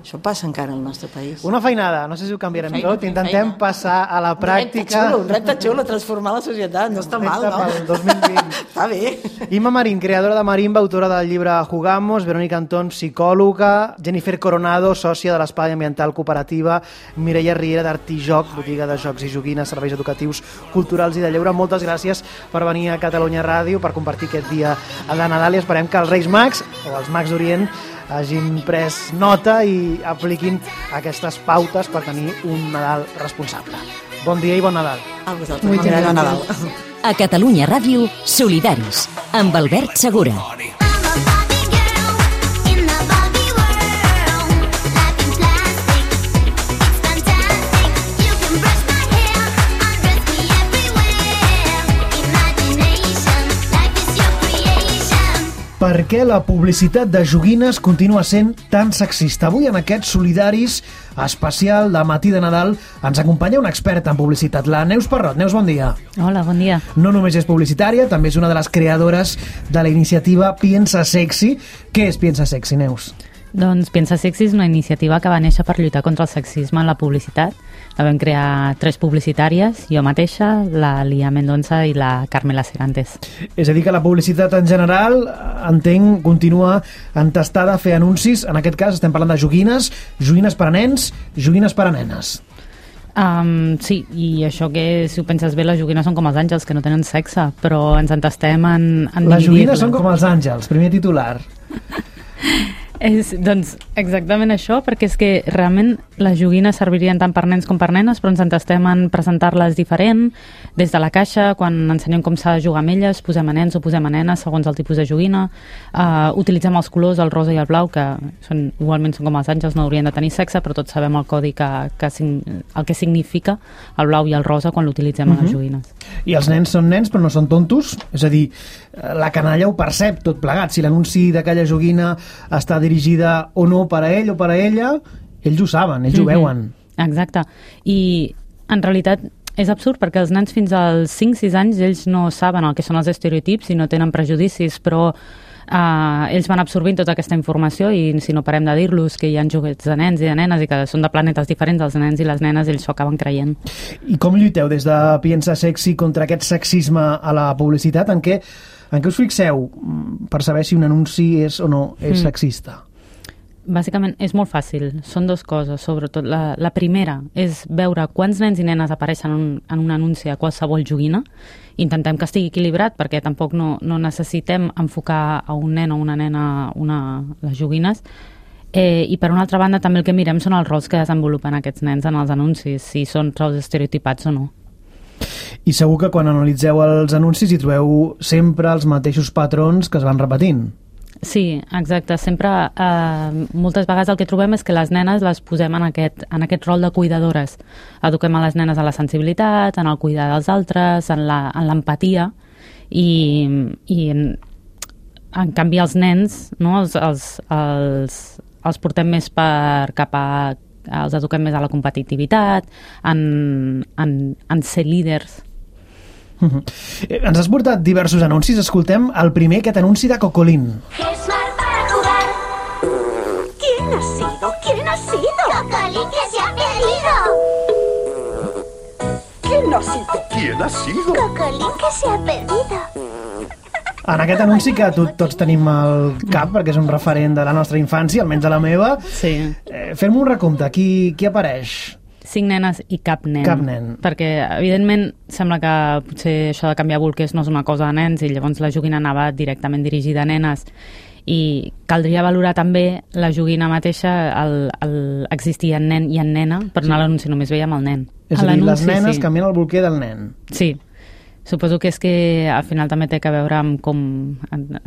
Això passa encara al nostre país. Una feinada, no sé si ho canviarem tot, intentem passar a la pràctica. Un repte xulo, transformar la societat, no està mal, no? Pel 2020. Està bé. Imma Marín, creadora de Marimba, autora del llibre Jugamos, Verónica Antón, psicòloga, Jennifer Coronado, sòcia de l'Espai Ambiental Cooperativa, Mireia Riera d'Artijoc, botiga de jocs i joguines, serveis educatius, culturals i de lleure. Moltes gràcies per venir a Catalunya Ràdio, per compartir aquest dia de Nadal i esperem que els Reis Mags, o els Mags d'Orient, hagin pres nota i apliquin aquestes pautes per tenir un Nadal responsable. Bon dia i bon Nadal. A vosaltres, bon dia i bon Nadal. A Catalunya Ràdio, Solidaris, amb Albert Segura. Per què la publicitat de joguines continua sent tan sexista? Avui en aquest Solidaris especial de Matí de Nadal ens acompanya una experta en publicitat, la Neus Parrot. Neus, bon dia. Hola, bon dia. No només és publicitària, també és una de les creadores de la iniciativa Piensa Sexy. Què és Piensa Sexy, Neus? Doncs Piensa Sexy és una iniciativa que va néixer per lluitar contra el sexisme en la publicitat. La vam crear 3 publicitàries, jo mateixa, la Lia Mendonça i la Carmela Serantes. És a dir, que la publicitat en general, entenc, continua entestada a fer anuncis. En aquest cas estem parlant de joguines, joguines per a nens, joguines per a nenes. Sí, i això que, si ho penses bé, les joguines són com els àngels, que no tenen sexe, però ens entestem en les joguines són com els àngels, primer titular. Doncs exactament això, perquè és que realment les joguines servirien tant per nens com per nenes, però ens entestem en presentar-les diferent, des de la caixa, quan ensenyem com s'ha de jugar amb elles, posem a nens o posem a nenes segons el tipus de joguina, utilitzem els colors, el rosa i el blau, que igualment són com els àngels, no haurien de tenir sexe, però tots sabem el codi el que significa el blau i el rosa quan l'utilitzem a les joguines. I els nens són nens però no són tontos? És a dir, la canalla ho percep tot plegat. Si l'anunci d'aquella joguina està dirigida o no per a ell o per a ella, ells ho saben, ells ho veuen. Exacte. I en realitat és absurd perquè els nens fins als 5-6 anys ells no saben el que són els estereotips i no tenen prejudicis, però ells van absorbint tota aquesta informació i si no parem de dir-los que hi ha joguets de nens i de nenes i que són de planetes diferents, els nens i les nenes ells s'ho acaben creient. I com lluiteu des de Piensa Sexy contra aquest sexisme a la publicitat? En què us fixeu per saber si un anunci és o no és sexista? Bàsicament és molt fàcil, són 2 coses, sobretot. La primera és veure quants nens i nenes apareixen en un anunci a qualsevol joguina. Intentem que estigui equilibrat perquè tampoc no necessitem enfocar a un nen o una nena les joguines. I per una altra banda també el que mirem són els rols que desenvolupen aquests nens en els anuncis, si són rols estereotipats o no. I segur que quan analitzeu els anuncis hi trobeu sempre els mateixos patrons que es van repetint. Sí, exacte. Sempre, moltes vegades el que trobem és que les nenes les posem en aquest rol de cuidadores. Eduquem a les nenes a la sensibilitat, en el cuidar dels altres, en l'empatia i en canvi els nens, no, els portem més els eduquem més a la competitivitat, en ser líders. Ens has portat diversos anuncis. Escoltem el primer, aquest anunci de Cocolín. Smart para jugar. ¿Quién ha sido? ¿Quién ha sido? Cocolín que se ha perdido. ¿Quién ha sido? ¿Quién ha sido? Cocolín que se ha perdido. En aquest anunci que tots tenim al cap, perquè és un referent de la nostra infància, almenys de la meva, sí. Fem un recompte. Qui apareix? 5 nenes i cap nen. Cap nen. Perquè, evidentment, sembla que potser això de canviar bolquers no és una cosa de nens i llavors la joguina anava directament dirigida a nenes. I caldria valorar també la joguina mateixa, existia en nen i en nena, però a l'anunci només veiem el nen. És a dir, les nenes canvien el bolquer del nen. Sí. Suposo que és que al final també té que veure amb com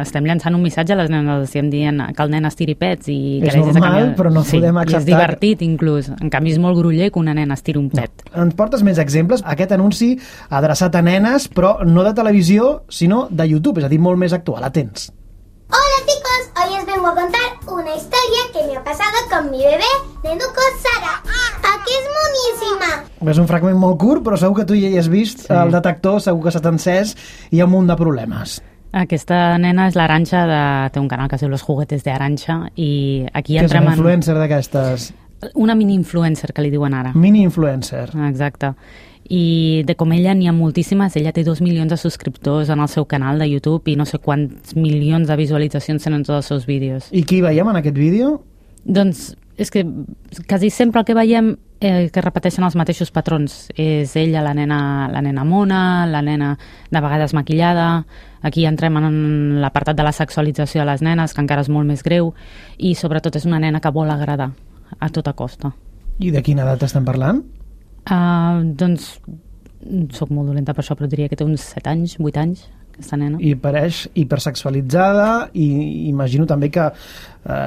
estem llançant un missatge a les nenes, estem dient que el nen estiri pets i que és normal, però no podem acceptar. I és divertit inclús, en canvi és molt groller que una nena estiri un pet. No. Ens portes més exemples? Aquest anunci adreçat a nenes, però no de televisió, sinó de YouTube, és a dir, molt més actual. Atents. Hola chicos, hoy os vengo a contar una historia que me ha pasado con mi bebé Nenuco Sara. Aquí es moníssima. És un fragment molt curt, però segur que tu ja hi has vist el detector, segur que s'ha encès i hi ha un munt de problemes. Aquesta nena és l'Aranxa, té un canal que es diu Los Juguetes de Aranxa, i aquí entrem en... Que és una influencer d'aquestes? Una mini-influencer, que li diuen ara. Mini-influencer. Exacte. I de com ella n'hi ha moltíssimes, ella té 2 milions de subscriptors en el seu canal de YouTube i no sé quants milions de visualitzacions tenen tots els seus vídeos. I qui veiem en aquest vídeo? Doncs és que quasi sempre el que veiem que repeteixen els mateixos patrons. És ella, la nena mona, la nena de vegades maquillada. Aquí entrem en l'apartat de la sexualització de les nenes, que encara és molt més greu, i sobretot és una nena que vol agradar a tota costa. I de quina edat estem parlant? Doncs soc molt dolenta per això, però diria que té uns 7 anys, 8 anys, aquesta nena. I pareix hipersexualitzada i imagino també que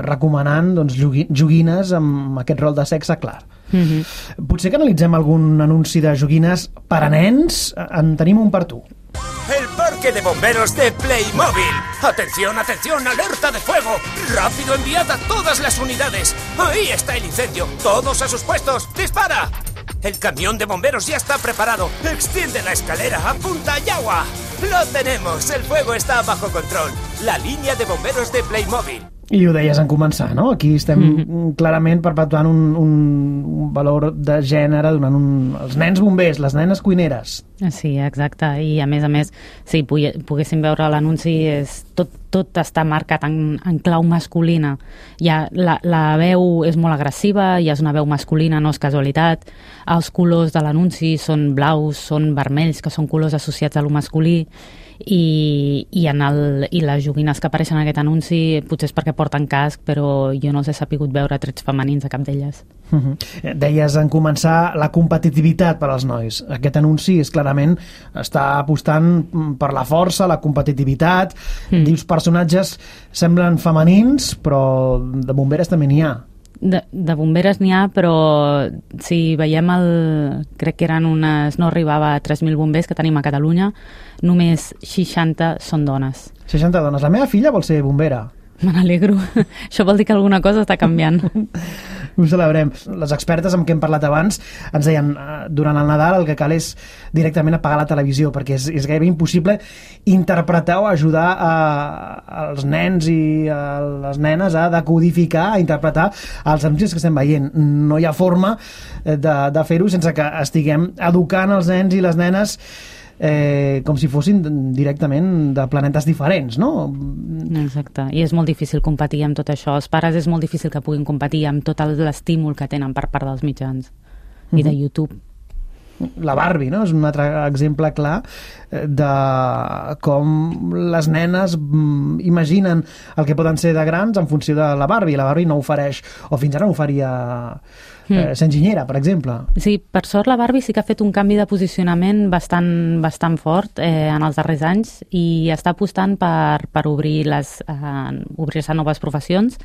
recomanant doncs, joguines amb aquest rol de sexe clar. Potser que analitzem algun anunci de joguines per a nens. En tenim un per tu. El parque de bomberos de Playmobil. Atención, atención, alerta de fuego. Rápido, enviad a todas las unidades. Ahí está el incendio. Todos a sus puestos. ¡Dispara! El camión de bomberos ya está preparado. Extiende la escalera, apunta y agua. Lo tenemos, el fuego está bajo control. La línea de bomberos de Playmobil. I ho deies en començar, no? Aquí estem clarament perpetuant un valor de gènere, donant els nens bombers, les nenes cuineres. Sí, exacte. I a més, si poguéssim veure l'anunci, tot està marcat en clau masculina. La veu és molt agressiva, ja és una veu masculina, no és casualitat. Els colors de l'anunci són blaus, són vermells, que són colors associats a lo masculí. I les joguines que apareixen en aquest anunci potser és perquè porten casc, però jo no he sapigut veure trets femenins a cap d'elles. Deies en començar la competitivitat per als nois. Aquest anunci clarament està apostant per la força, la competitivitat. Dius personatges semblen femenins, però de bomberes també n'hi ha. De bomberes n'hi ha, però si veiem crec que no arribava a 3.000 bombers que tenim a Catalunya, només 60 són dones. 60 dones. La meva filla vol ser bombera. Me n'alegro. Això vol dir que alguna cosa està canviant. Ho celebrem. Les expertes amb què hem parlat abans ens deien durant el Nadal el que cal és directament apagar la televisió, perquè és gairebé impossible interpretar o ajudar als nens i a les nenes a decodificar, a interpretar els anuncis que estem veient. No hi ha forma de fer-ho sense que estiguem educant els nens i les nenes com si fossin directament de planetes diferents, no? Exacte, i és molt difícil competir amb tot això. Els pares és molt difícil que puguin competir amb tot l'estímul que tenen per part dels mitjans i de YouTube. La Barbie, no? És un altre exemple clar de com les nenes imaginen el que poden ser de grans en funció de la Barbie. La Barbie no ofereix, o fins ara no oferia s'enginyera, per exemple. Sí, per sort la Barbie sí que ha fet un canvi de posicionament bastant fort en els darrers anys i està apostant per obrir-se a noves professions,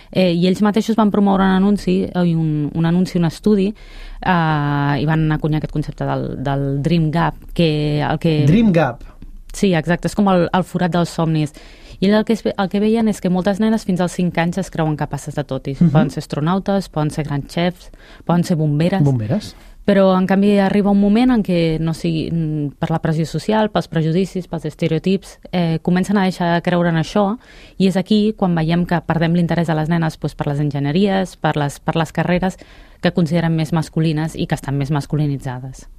i ells mateixos van promoure un anunci, un estudi, i van acunyar aquest concepte del Dream Gap. Dream Gap? Sí, exacte, és com el forat dels somnis. I el que veien és que moltes nenes fins als 5 anys es creuen capaces de tot. Poden ser astronautes, poden ser grans xefs, poden ser bomberes. Bomberes. Però, en canvi, arriba un moment en què, no sigui per la pressió social, pels prejudicis, pels estereotips, comencen a deixar de creure en això, i és aquí quan veiem que perdem l'interès de les nenes per les enginyeries, per les carreres que consideren més masculines i que estan més masculinitzades.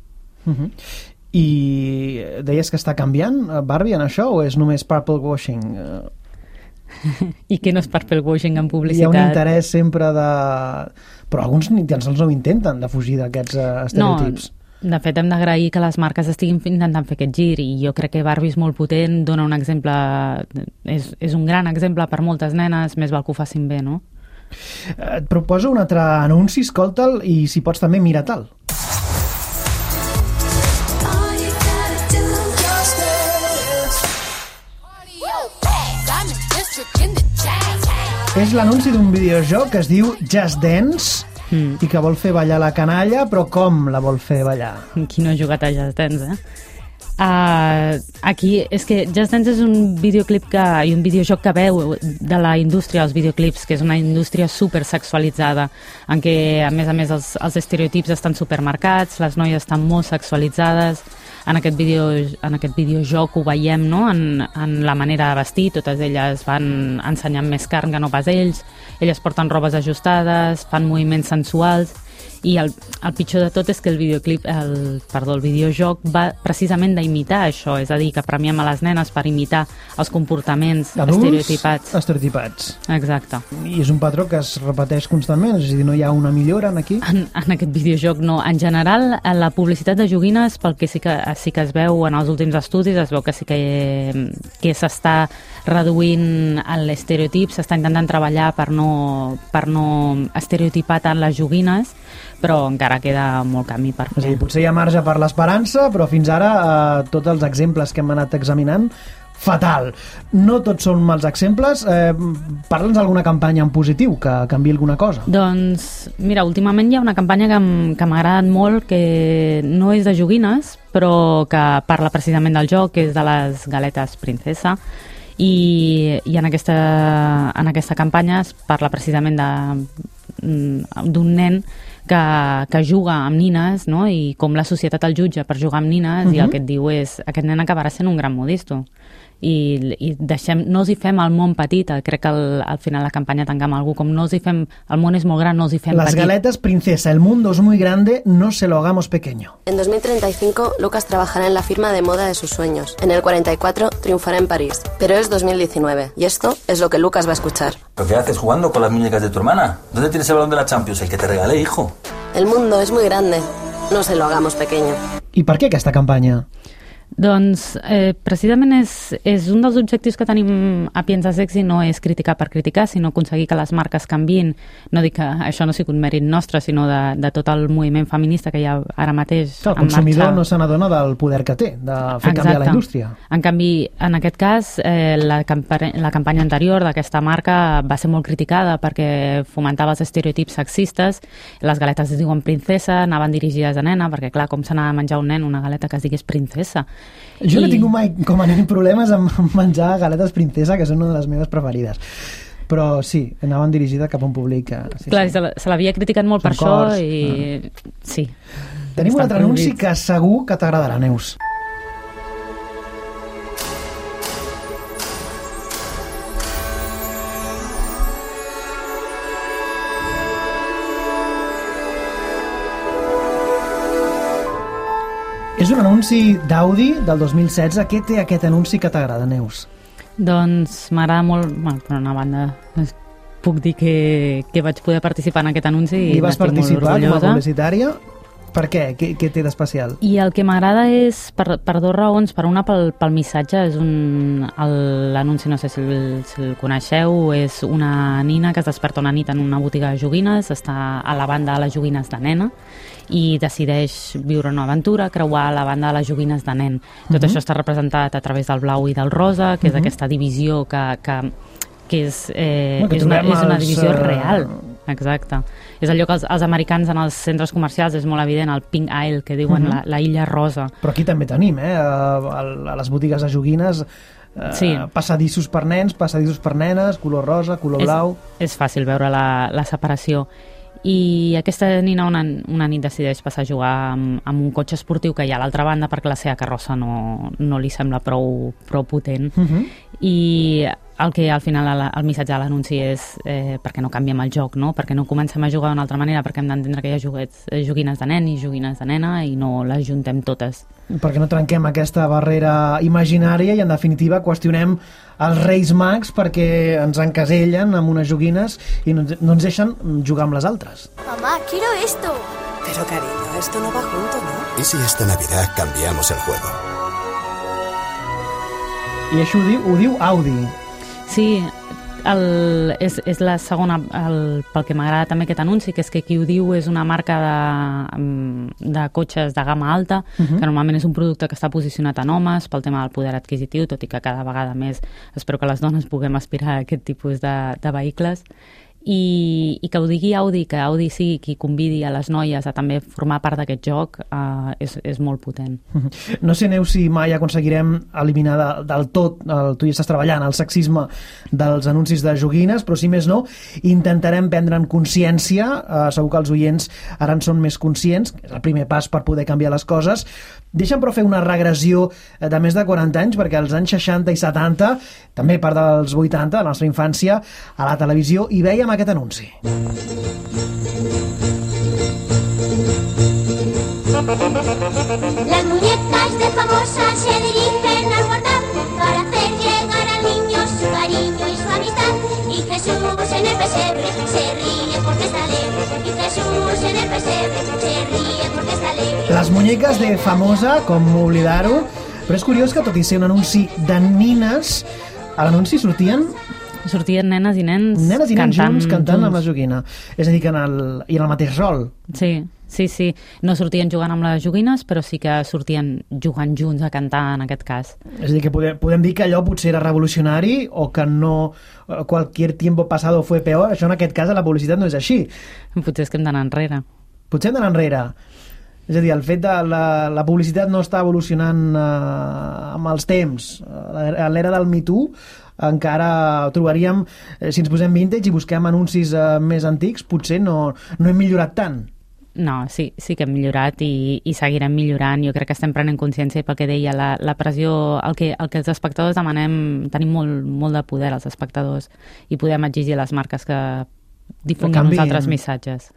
I deies que està canviant Barbie en això o és només purple washing? I que no és per fer el washing en publicitat. Hi ha un interès sempre de... Però alguns ni tan sols no ho intenten, de fugir d'aquests estereotips. No, de fet, hem d'agrair que les marques estiguin intentant fer aquest gir, i jo crec que Barbie és molt potent, dona un exemple... És un gran exemple per moltes nenes, més val que ho facin bé, no? Et proposo un altre anunci, escolta'l, i si pots també mira-te'l. És l'anunci d'un videojoc que es diu Just Dance i que vol fer ballar la canalla, però com la vol fer ballar? Qui no ha jugat a Just Dance, Aquí és que Just Dance és un videoclip i un videojoc que veu de la indústria dels videoclips, que és una indústria supersexualitzada, en què a més els estereotips estan supermarcats, les noies estan molt sexualitzades. En aquest videojoc ho veiem, no? En la manera de vestir, totes elles van ensenyant més carn que no pas ells, elles porten robes ajustades, fan moviments sensuals, i el pitjor de tot és que el videojoc va precisament d'imitar això, és a dir, que premiem a les nenes per imitar els comportaments estereotipats. Exacte. I és un patró que es repeteix constantment, és a dir, no hi ha una millora aquí? En aquest videojoc no. En general, la publicitat de joguines, pel que sí que es veu en els últims estudis, es veu que sí que s'està reduint l'estereotip, s'està intentant treballar per no estereotipar tant les joguines, però encara queda molt camí per fer. Sí, potser hi ha marge per l'esperança, però fins ara tots els exemples que hem anat examinant, fatal. No tots són mals exemples. Parla'ns d'alguna campanya en positiu que canviï alguna cosa. Doncs, mira, últimament hi ha una campanya que m'ha agradat molt, que no és de joguines, però que parla precisament del joc, que és de les galetes princesa, i en aquesta campanya es parla precisament d'un nen que juga amb nines, no? I com la societat el jutja per jugar amb nines, i el que et diu és aquest nen acabarà sent un gran modisto. I no els hi fem el món petit. Crec que al final la campanya tanca amb algú com el món és molt gran, no els hi fem Las petit. Las galetas princesa, el mundo es muy grande, no se lo hagamos pequeño. En 2035 Lucas trabajará en la firma de moda de sus sueños. En el 44 triunfará en París. Pero es 2019 y esto es lo que Lucas va a escuchar. ¿Pero qué haces jugando con las muñecas de tu hermana? ¿Dónde tienes el balón de la Champions? El que te regalé, hijo. El mundo es muy grande, no se lo hagamos pequeño. I per què aquesta campanya? Doncs precisament és un dels objectius que tenim a Piensa Sexy, no és criticar per criticar, sinó aconseguir que les marques canviïn. No dic que això no sigui un mèrit nostre, sinó de tot el moviment feminista que hi ha ara mateix en marxa. El consumidor no se n'adona del poder que té, de fer canviar la indústria. En canvi, en aquest cas, la campanya anterior d'aquesta marca va ser molt criticada perquè fomentava els estereotips sexistes. Les galetes es diuen princesa, anaven dirigides a nena, perquè clar, com s'anava a menjar un nen una galeta que es digués princesa? Jo no he tingut mai com a nen problemes amb menjar galetes princesa, que són una de les meves preferides. Però sí, anaven dirigides cap a un públic... Clar, se l'havia criticat molt per això i... Sí. Tenim un altre anunci que segur que t'agradarà, Neus. És un anunci d'Audi del 2016. Què té aquest anunci que t'agrada, Neus? Doncs m'agrada molt... Bueno, per una banda, puc dir que vaig poder participar en aquest anunci i vas participar com a publicitària? Per què? Què té d'especial? I el que m'agrada és per dues raons. Per una, pel missatge. És l'anunci, no sé si el coneixeu, és una nina que es desperta una nit en una botiga de joguines, està a la banda de les joguines de nena i decideix viure una aventura, creuar la banda de les joguines de nen. Tot això està representat a través del blau i del rosa, que és aquesta divisió que és una divisió real. Exacte. És allò que els americans en els centres comercials és molt evident, el pink aisle, que diuen la illa rosa. Però aquí també tenim, a les botigues de joguines, passadissos per nens, passadissos per nenes, color rosa, color blau... És fàcil veure la separació. I aquesta nina una nit decideix passar a jugar amb un cotxe esportiu que hi ha a l'altra banda perquè la seva carrossa no li sembla prou potent. i el que al final el missatge de l'anunci és perquè no canviem el joc, no? Perquè no comencem a jugar d'una altra manera, perquè hem d'entendre que hi ha joguines de nen i joguines de nena i no les juntem totes. Perquè no trenquem aquesta barrera imaginària i en definitiva qüestionem els Reis Mags perquè ens encasellen amb unes joguines i no ens deixen jugar amb les altres. Mamá, quiero esto. Pero cariño, esto no va junto, ¿no? ¿Y si esta Navidad cambiamos el juego? I això ho diu Audi. Sí, és la segona, pel que m'agrada també aquest anunci, que és que qui ho diu és una marca de cotxes de gamma alta, que normalment és un producte que està posicionat en homes pel tema del poder adquisitiu, tot i que cada vegada més espero que les dones puguem aspirar a aquest tipus de vehicles. I que ho digui Audi, que Audi sigui qui convidi a les noies a també formar part d'aquest joc, és molt potent. No sé, Neus, si mai aconseguirem eliminar del tot, tu hi estàs treballant, el sexisme dels anuncis de joguines, però si més no, intentarem prendre'n consciència, segur que els oients ara en són més conscients, és el primer pas per poder canviar les coses. Deixa'm però fer una regressió de més de 40 anys, perquè als anys 60 i 70, també part dels 80, de la nostra infància, a la televisió hi veiem aquest anunci. Las muñecas de Famosa se dirigen al portal para hacer llegar al niño su cariño y su amistad. Y Jesús en el pesebre se ríe porque está alegre. Y Jesús en el pesebre se ríe porque está alegre. Les muñeques de Famosa, com oblidar-ho, però és curiós que tot i ser un anunci de nines, a l'anunci sortien nenes i nens cantant amb la joguina. És a dir, que en el mateix rol. Sí. No sortien jugant amb les joguines, però sí que sortien jugant junts a cantar, en aquest cas. És a dir, que podem dir que allò potser era revolucionari o que no cualquier tiempo pasado fue peor. Això en aquest cas a la publicitat no és així. Potser és que hem d'anar enrere. És a dir, el fet de la publicitat no està evolucionant amb els temps. A l'era del Me Too encara trobaríem, si ens posem vintage i busquem anuncis més antics, potser no hem millorat tant. No, sí que hem millorat i seguirem millorant. Jo crec que estem prenent consciència, i pel que deia, la pressió, el que els espectadors demanem, tenim molt de poder els espectadors i podem exigir a les marques que difonguem uns altres missatges.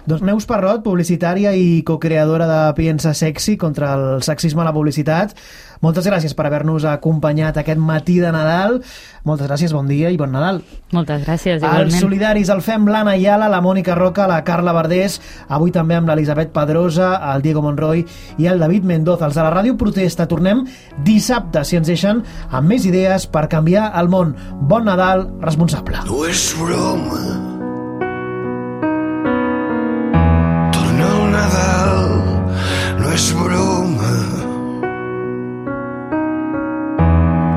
Doncs Neus Parrot, publicitària i cocreadora de Piensa Sexy contra el sexisme a la publicitat, moltes gràcies per haver-nos acompanyat aquest matí de Nadal. Moltes gràcies, bon dia i bon Nadal. Moltes gràcies, igualment. Els solidaris el fem l'Anna Ayala, la Mònica Roca, la Carla Verdés, avui també amb l'Elisabet Pedrosa, el Diego Monroy i el David Mendoza. Els de la Ràdio Protesta tornem dissabte, si ens deixen, amb més idees per canviar el món. Bon Nadal responsable. No és broma. Torna el Nadal, no és broma.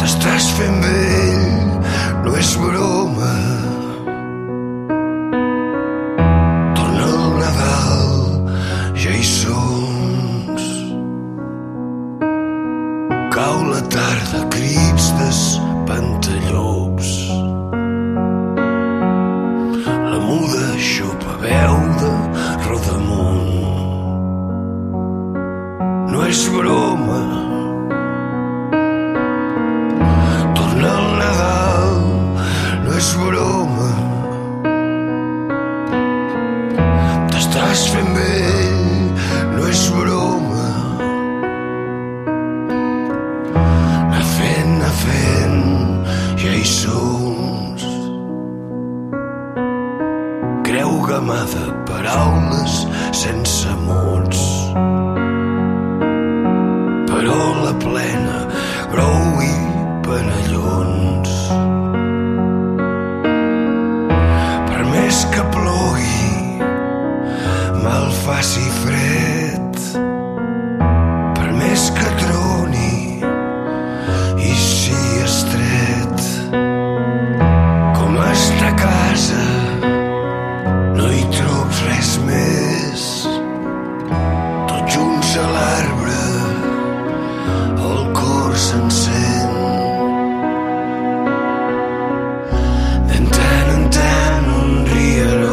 T'estàs fent vell, no és broma. Torna el Nadal, ja hi som. Cau la tarda, crits d'espantallops. La muda xopa veu de Rodamunt. No és broma. Torna el Nadal, no és broma. T'estàs fent vell, no és broma. Anar fent, ja hi som. Creu gamada, paraules sense mots. Però la plena, grou i penellons. Per més que plogui, mal faci fred. Per més que troni i si estret. Com està a casa, no hi trobo res més. Tots junts a l'arbre, el cor s'encén. De tant en tant un rierol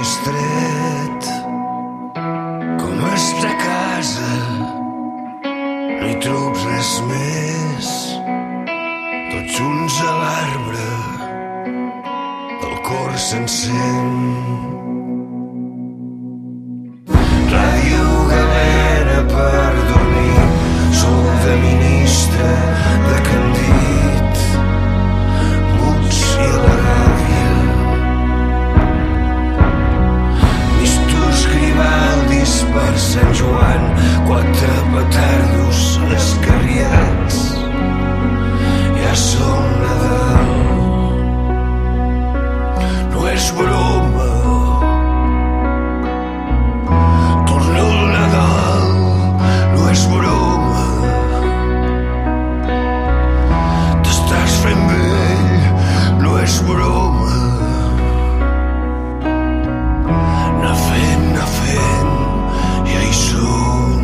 estret com estar a casa, no hi trobs res més, tots junts a l'arbre el cor s'encén. Ràdio galera per dormir, sol de ministre de Candit, muts i a la gàbia, mistos Grivaldis per Sant Joan, 4 petardos escarriats, ja som Nadal. No és broma, torna el Nadal, no és broma, t'estàs fent vell, no és broma, anar fent, ja hi som.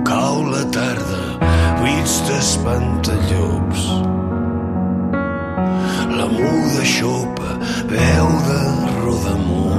Cau la tarda, buits d'espantallops, la muda xopa, veu de rodamó,